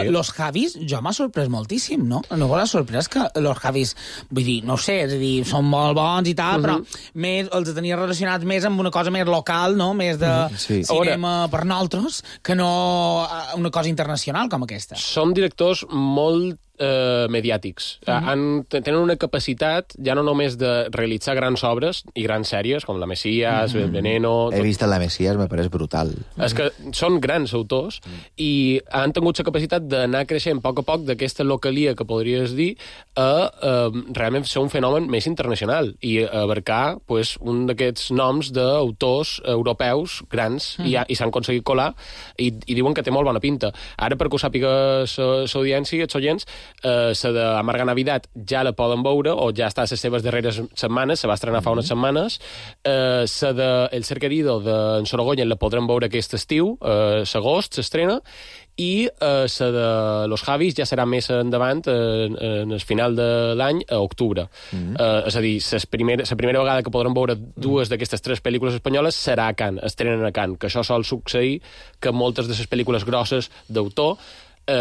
Los Javis, jo m'ha sorprès moltíssim, no? No m'ha sorprès que Los Javis, vull dir, no sé, és a dir, són molt bons i tal, però els tenia relacionats més amb una cosa més local, no? Més de cinema per nosaltres, que no una cosa internacional com aquesta. Són directors molt mediàtics. Tenen una capacitat ja no només de realitzar grans obres i grans sèries, com La Mesías, Veneno... He vist La Mesías, me pareix brutal. És que són grans autors i han tingut la capacitat d'anar creixent a poc d'aquesta localia que podries dir a realment ser un fenomen més internacional i abarcar un d'aquests noms d'autors europeus grans i s'han aconseguit colar i diuen que té molt bona pinta. Ara, perquè ho sàpiga l'audiència i els oients, La d'Amarga Navidad ja la poden veure, o ja està a les seves darreres setmanes, se va estrenar fa unes setmanes. La de El ser querido d'en Sorogoyen la podrem veure aquest estiu, l'agost s'estrena, i la de Los Javis ja serà més endavant, en el final de l'any, a octubre. És a dir, la primera vegada que podrem veure dues d'aquestes 3 pel·lícules espanyoles serà a Cannes, estrenen a Cannes, que això sol succeir que moltes de les pel·lícules grosses d'autor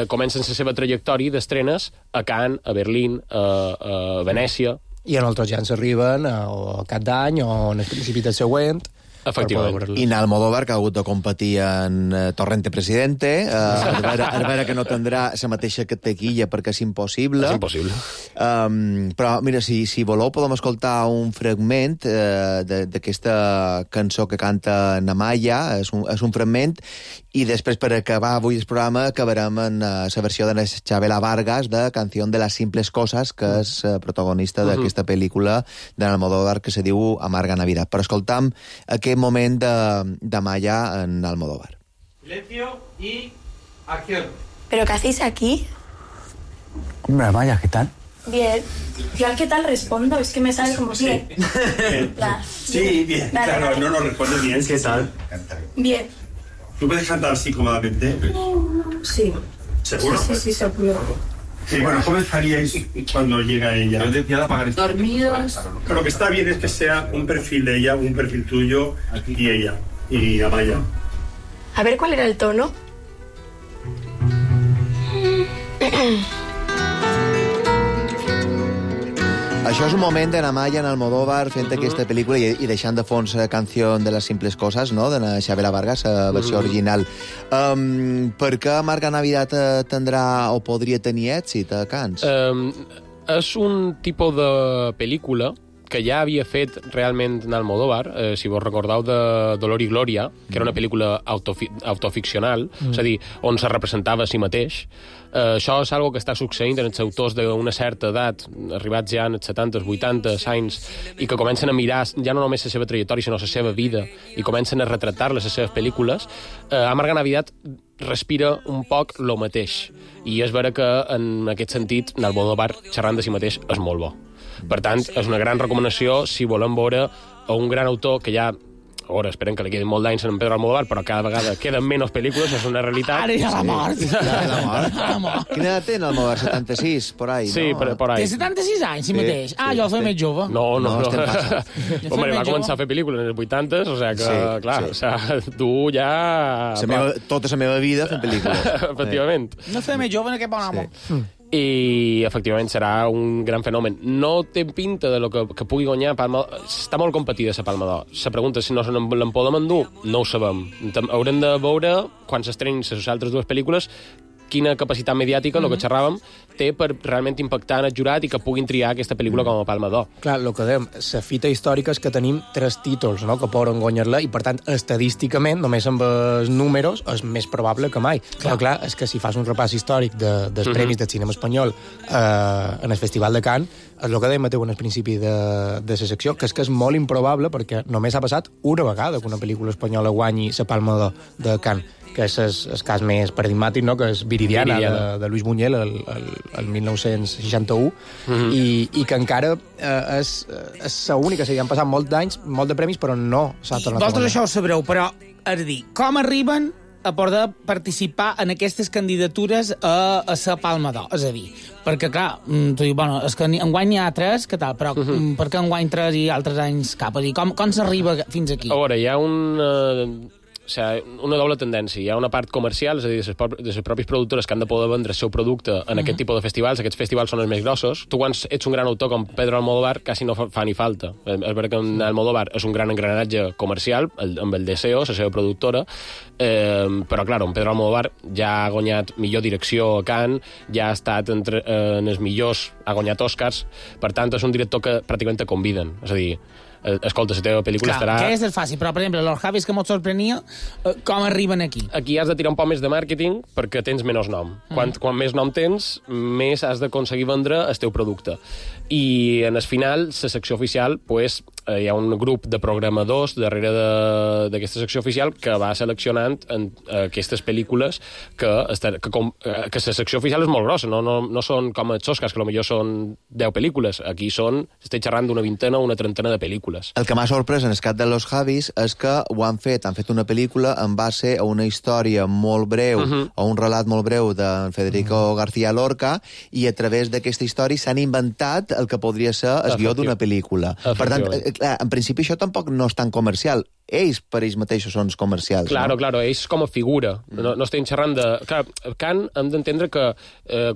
comencen la seva trajectòria d'estrenes a Cannes, a Berlín, a Venècia. I en altres ja ens arriben o a cap d'any o en el principi del següent. Efectivament. I Almodóvar, que ha hagut de competir en Torrente Presidente, a veure que no tindrà la mateixa taquilla perquè és impossible. És impossible. Però, mira, si voleu, podem escoltar un fragment d'aquesta cançó que canta Namaya, és un fragment, i després, per acabar avui el programa, acabarem en la versió de Chabela Vargas de Canción de las simples cosas, que és protagonista d'aquesta pel·lícula d'Almodóvar que se diu Amarga Navidad. Però escoltam aquest moment de Maya en Almodóvar. Silencio y acción. ¿Pero qué hacéis aquí? Hombre, Maya, ¿qué tal? Bien. Yo al qué tal respondo, es que me sale como bien. Sí, bien. Vale, Claro, vale. no responde bien. ¿Qué tal? Bien. ¿Tú puedes cantar así cómodamente? Sí. ¿Seguro? Sí, seguro. Sí, bueno, ¿cómo estaríais cuando llega ella? Yo decía de apagar esto. Dormidos. Pero lo que está bien es que sea un perfil de ella, un perfil tuyo y ella, y Amaya. A ver cuál era el tono. Això és un moment de Namaya en Almodóvar fent aquesta pel·lícula i deixant de fons la canció de les simples coses, no?, de Chabela Vargas, la versió original. Per què Amarga Navidad tindrà o podria tenir èxit a Cannes? És un tipus de pel·lícula que ja havia fet realment en Almodóvar, si vos recordeu de Dolor i Glòria, que era una pel·lícula autoficcional, és a dir, on se representava a si mateix. Això és algo que està succeint en els autors d'una certa edat, arribats ja en els 70, 80 anys, i que comencen a mirar ja no només la seva trajectòria, sinó la seva vida, i comencen a retratar-les a les seves pel·lícules. Amarga Navidad respira un poc lo mateix, i és vera que en aquest sentit Almodóvar xerrant de si mateix és molt bo. Per tant, és una gran recomanació si volem veure a un gran autor que ja... Ara, esperen que li quedin molt d'anys en Pedro Almodóvar, però cada vegada queden menys pel·lícules, és una realitat. Ara ja la mort. La mort. Quina edat té en Almodóvar? 76, por ahí, sí, no? por ahí. Té 76 anys, si mateix. Ah, jo el feia més jove. No. Home, va començar a fer pel·lícules en els 80, o sigui que, clar, o sigui, tu ja... Tota la meva vida fent pel·lícules. Efectivament. No feia més jove en aquest bon amo. I efectivament serà un gran fenomen. No té pinta de lo que pugui guanyar Palma d'Or. Està molt competida la Palma d'Or. La pregunta és si no l'en podem endur, no ho sabem. Haurem de veure, quan s'estrenin les altres dues pel·lícules, quina capacitat mediàtica, el que xerràvem, té per realment impactar en el jurat i que puguin triar aquesta pel·lícula com a Palma d'Or. Clar, el que dèiem, la fita històrica és que tenim 3 títols, no?, que poden guanyar-la, i per tant, estadísticament, només amb els números, és més probable que mai. Però clar, és que si fas un repàs històric dels premis del cinema espanyol en el Festival de Cannes, és el que dèiem Mateu en el principi de la secció, que és molt improbable, perquè només ha passat una vegada que una pel·lícula espanyola guanyi la Palma d'Or de Cannes, que és el cas més paradigmàtic, no?, que és Viridiana. De Luis Buñuel, el 1961, i que encara és l'única. O sigui, han passat molts d'anys, molt de premis, però no s'ha tornat a guanyar. Vosaltres això ho sabreu, però, és a dir, com arriben a poder participar en aquestes candidatures a la Palma d'Or? És a dir, perquè, clar, tu dius, bueno, és que enguany n'hi ha 3, què tal? Però per què enguany 3 i altres anys cap? És a dir, com s'arriba fins aquí? A veure, hi ha una doble tendència. Hi ha una part comercial, és a dir, de les pròpies productores que han de poder vendre el seu producte en aquest tipus de festivals. Aquests festivals són els més grossos. Tu, quan ets un gran autor com Pedro Almodóvar, quasi no fa ni falta. És veritat que Almodóvar és un gran engranatge comercial, amb el Deseo, la seva productora, però, clar, Pedro Almodóvar ja ha guanyat millor direcció a Cannes, ja ha estat en els millors, ha guanyat Oscars, per tant, és un director que pràcticament te conviden. És a dir, escolta, la teva pel·lícula estarà... Clar, que és fàcil, però, per exemple, Los Javis, que molt sorprenia, com arriben aquí? Aquí has de tirar un poc més de màrqueting perquè tens menys nom. Quan més nom tens, més has d'aconseguir vendre el teu producte. I en el final, la secció oficial, pues, hi ha un grup de programadors darrere d'aquesta secció oficial que va seleccionant aquestes pel·lícules que la secció oficial és molt grossa, no són com els Oscars, que potser són 10 pel·lícules. Aquí estic xerrant d'una vintena o una trentena de pel·lícules. El que m'ha sorprès en el cas de Los Javis és que han fet una pel·lícula en base a una història molt breu, o un relat molt breu de Federico García Lorca, i a través d'aquesta història s'han inventat el que podria ser el guió d'una pel·lícula. Per tant, clar, en principi això tampoc no és tan comercial. Ells per ells mateixos són comercials. Claro, ells com a figura. No estem xerrant de... Clar, Cannes hem d'entendre que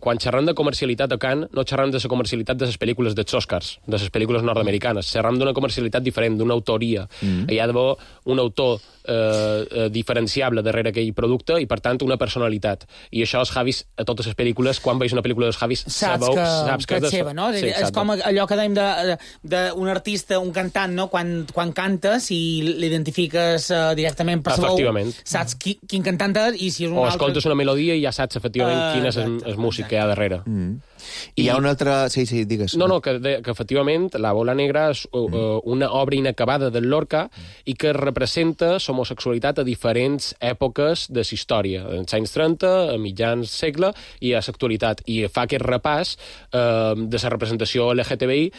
quan xerram de comercialitat a Cannes no xerram de la comercialitat de les pel·lícules dels Oscars, de les pel·lícules nord-americanes. Xerram d'una comercialitat diferent, d'una autoria. Hi ha d'haver un autor diferenciable darrere aquell producte i, per tant, una personalitat. I això els Javis, a totes les pel·lícules, quan veus una pel·lícula dels Javis, saps que és seva, no? Sí, és com allò que dèiem d'un artista, un cantant, no? Quan cantes i l'identifiques directament per sa veu, saps quin cantant és i si és un altre... O escoltes una melodia i ja saps efectivament quin és el músic que hi ha darrere. I hi ha una altra... Sí, digues. No, que efectivament La bola negra és una obra inacabada del Lorca i que representa l'homosexualitat a diferents èpoques de la història, als anys 30, a mitjans segle i a l'actualitat. I fa aquest repàs de la representació LGTBI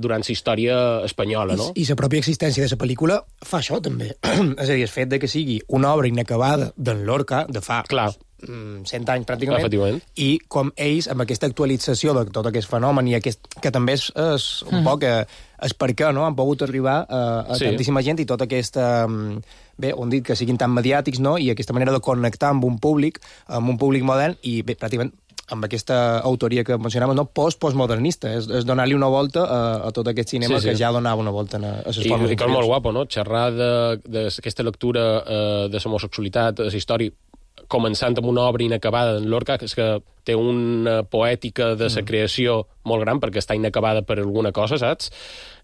durant la història espanyola, no? I la pròpia existència de la pel·lícula fa això, també. És a dir, el fet de que sigui una obra inacabada d'en Lorca, de fa... 100 anys, pràcticament, i com ells, amb aquesta actualització de tot aquest fenomen, i que també és un poc és per què han pogut arribar a tantíssima gent, i tota aquesta... Bé, on dit que siguin tan mediàtics, no?, i aquesta manera de connectar amb un públic modern, i bé, pràcticament amb aquesta autoria que mencionàvem, no? Postmodernista, és donar-li una volta a tot aquest cinema que ja donava una volta a les formes. I que és molt guapo, no?, xerrar d'aquesta lectura de l'homosexualitat, de la història, començant amb una obra inacabada d'en Lorca, que és que té una poètica de la creació molt gran, perquè està inacabada per alguna cosa, saps?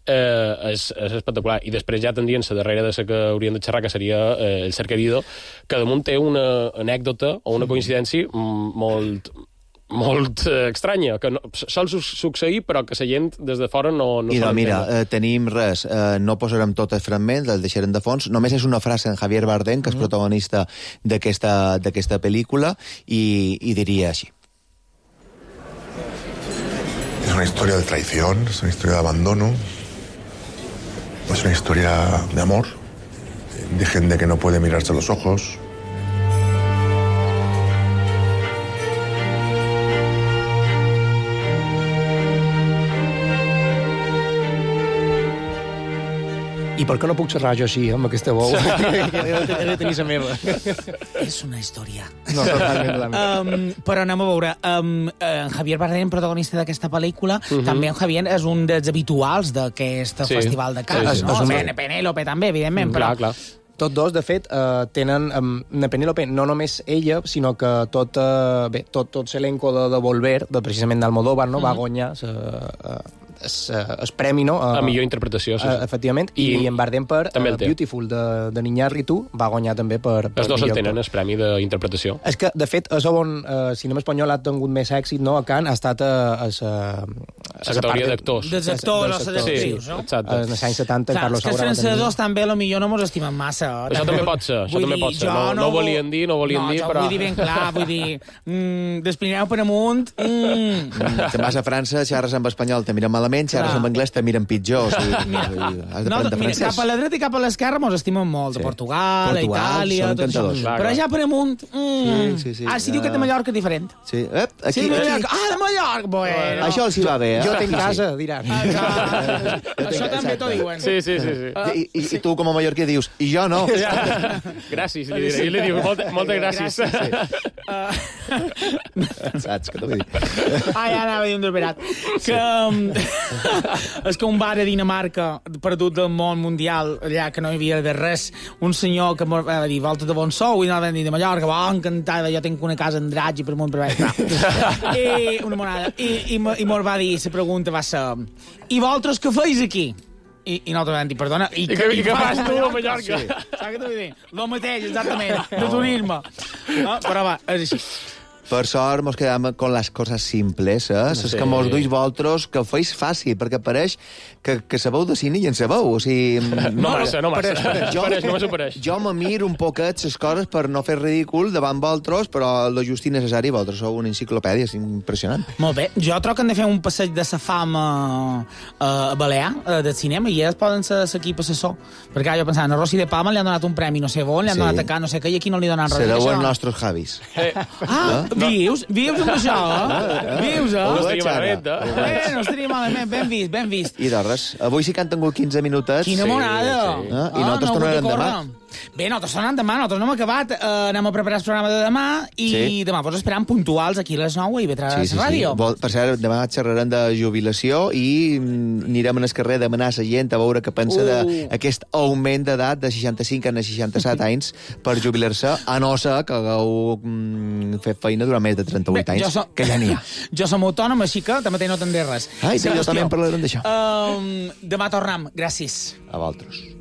És espectacular. I després ja tendrien-se darrere de la que hauríem de xerrar, que seria El ser querido, que damunt té una anècdota o una coincidència molt estranya, que sol succeir, però que la gent des de fora no I mira, tenim res, no posarem tot el fragment, el deixarem de fons, només és una frase en Javier Bardem, que és protagonista d'aquesta pel·lícula, i diria així. Es una historia de traición, es una historia de abandono, es una historia de amor, de gente que no puede mirarse a los ojos. I per què no puc xerrar jo així, amb aquesta veu? He de tenir la meva. És una història. No, totalment. Però anem a veure. En Javier Bardem, protagonista d'aquesta pel·lícula, també en Javier és un dels habituals d'aquest festival de Cannes. Penélope també, evidentment. Clar. Tots dos, de fet, tenen... Penélope, no només ella, sinó que tot l'elenco de Volver, precisament d'Almodóvar, va guanyar el premi, no? A millor interpretació, sí. Efectivament, i en Bardem per Beautiful, de Iñárritu, va guanyar també per els dos el tenen, el premi d'interpretació. És que, de fet, és on el cinema espanyol ha tingut més èxit, no? A Cannes ha estat la categoria d'actors. Dels actors, dels actrius, no? Exacte. En els anys 70, Carlos Saura... És que els francesos també, potser no mos estimen massa. Això també pot ser, No volien dir, però... Vull dir ben clar, dels Pirineus per amunt... Te'n vas a França, xerres amb espanyol, te miren malament, xerres amb anglès, te miren pitjor. Mira, cap a la dreta i cap a l'esquerra mos estimen molt. De Portugal, Itàlia... Però ja per amunt... Si diu que de Mallorca és diferent. Sí, de Mallorca! Això els hi va bé, Jo tinc casa, diran. Això també t'ho diuen. Sí. I tu, com a mallorquí, dius, i jo no. Gràcies, li diré. I li diu, moltes gràcies. Saps què t'ho vull dir? Ja anava a dir un desverat. És que un bar a Dinamarca, perdut del món mundial, allà que no hi havia de res, un senyor que va dir, volta de bon sou, i anava a dir de Mallorca, encantada, jo tinc una casa en Draghi per munt per I una monada. I mos va dir, la pregunta va ser, i vosaltres què feis aquí? I nosaltres vam dir, perdona... I què fas tu a Mallorca? Saps què t'ho vull dir? Lo mateix, exactament, de turisme. Però va, és així. Per sort, mos quedam con les coses simples, les que mos duis vosaltres, que ho feis fàcil, perquè pareix que sabeu de cine i en sabeu. O sigui, no massa. Jo me miro un poquet les coses per no fer ridícul davant vosaltres, però lo just i necessari, vosaltres sou una enciclopèdia, és impressionant. Molt bé, jo trobo que hem de fer un passeig de sa fama a Balear, del cinema, i ells poden ser l'equip assessor. Perquè jo pensava, a Rossi de Palma li han donat un premi no sé on, li han donat a Can, no sé què, i aquí no li donen res. Sereu els nostres Javis. Vius amb això, Vius, No estaria malament, No estaria malament, ben vist. I de res, avui sí que han tingut 15 minutets. Quina monada! I nosaltres tornarem demà. Bé, nosaltres tornem demà, nosaltres no hem acabat. Anem a preparar el programa de demà i demà vos esperam puntuals aquí a les 9 a IB3 Ràdio. Per cert, demà xerrarem de jubilació i anirem al carrer a demanar a la gent a veure què pensa d'aquest augment d'edat de 65 a 67 anys per jubilar-se, a no ser que hagueu fet feina durant més de 38 anys, que ja n'hi ha. Jo som autònom, així que també no tindré res. Jo també en parlarem d'això. Demà tornem. Gràcies. A vosaltres.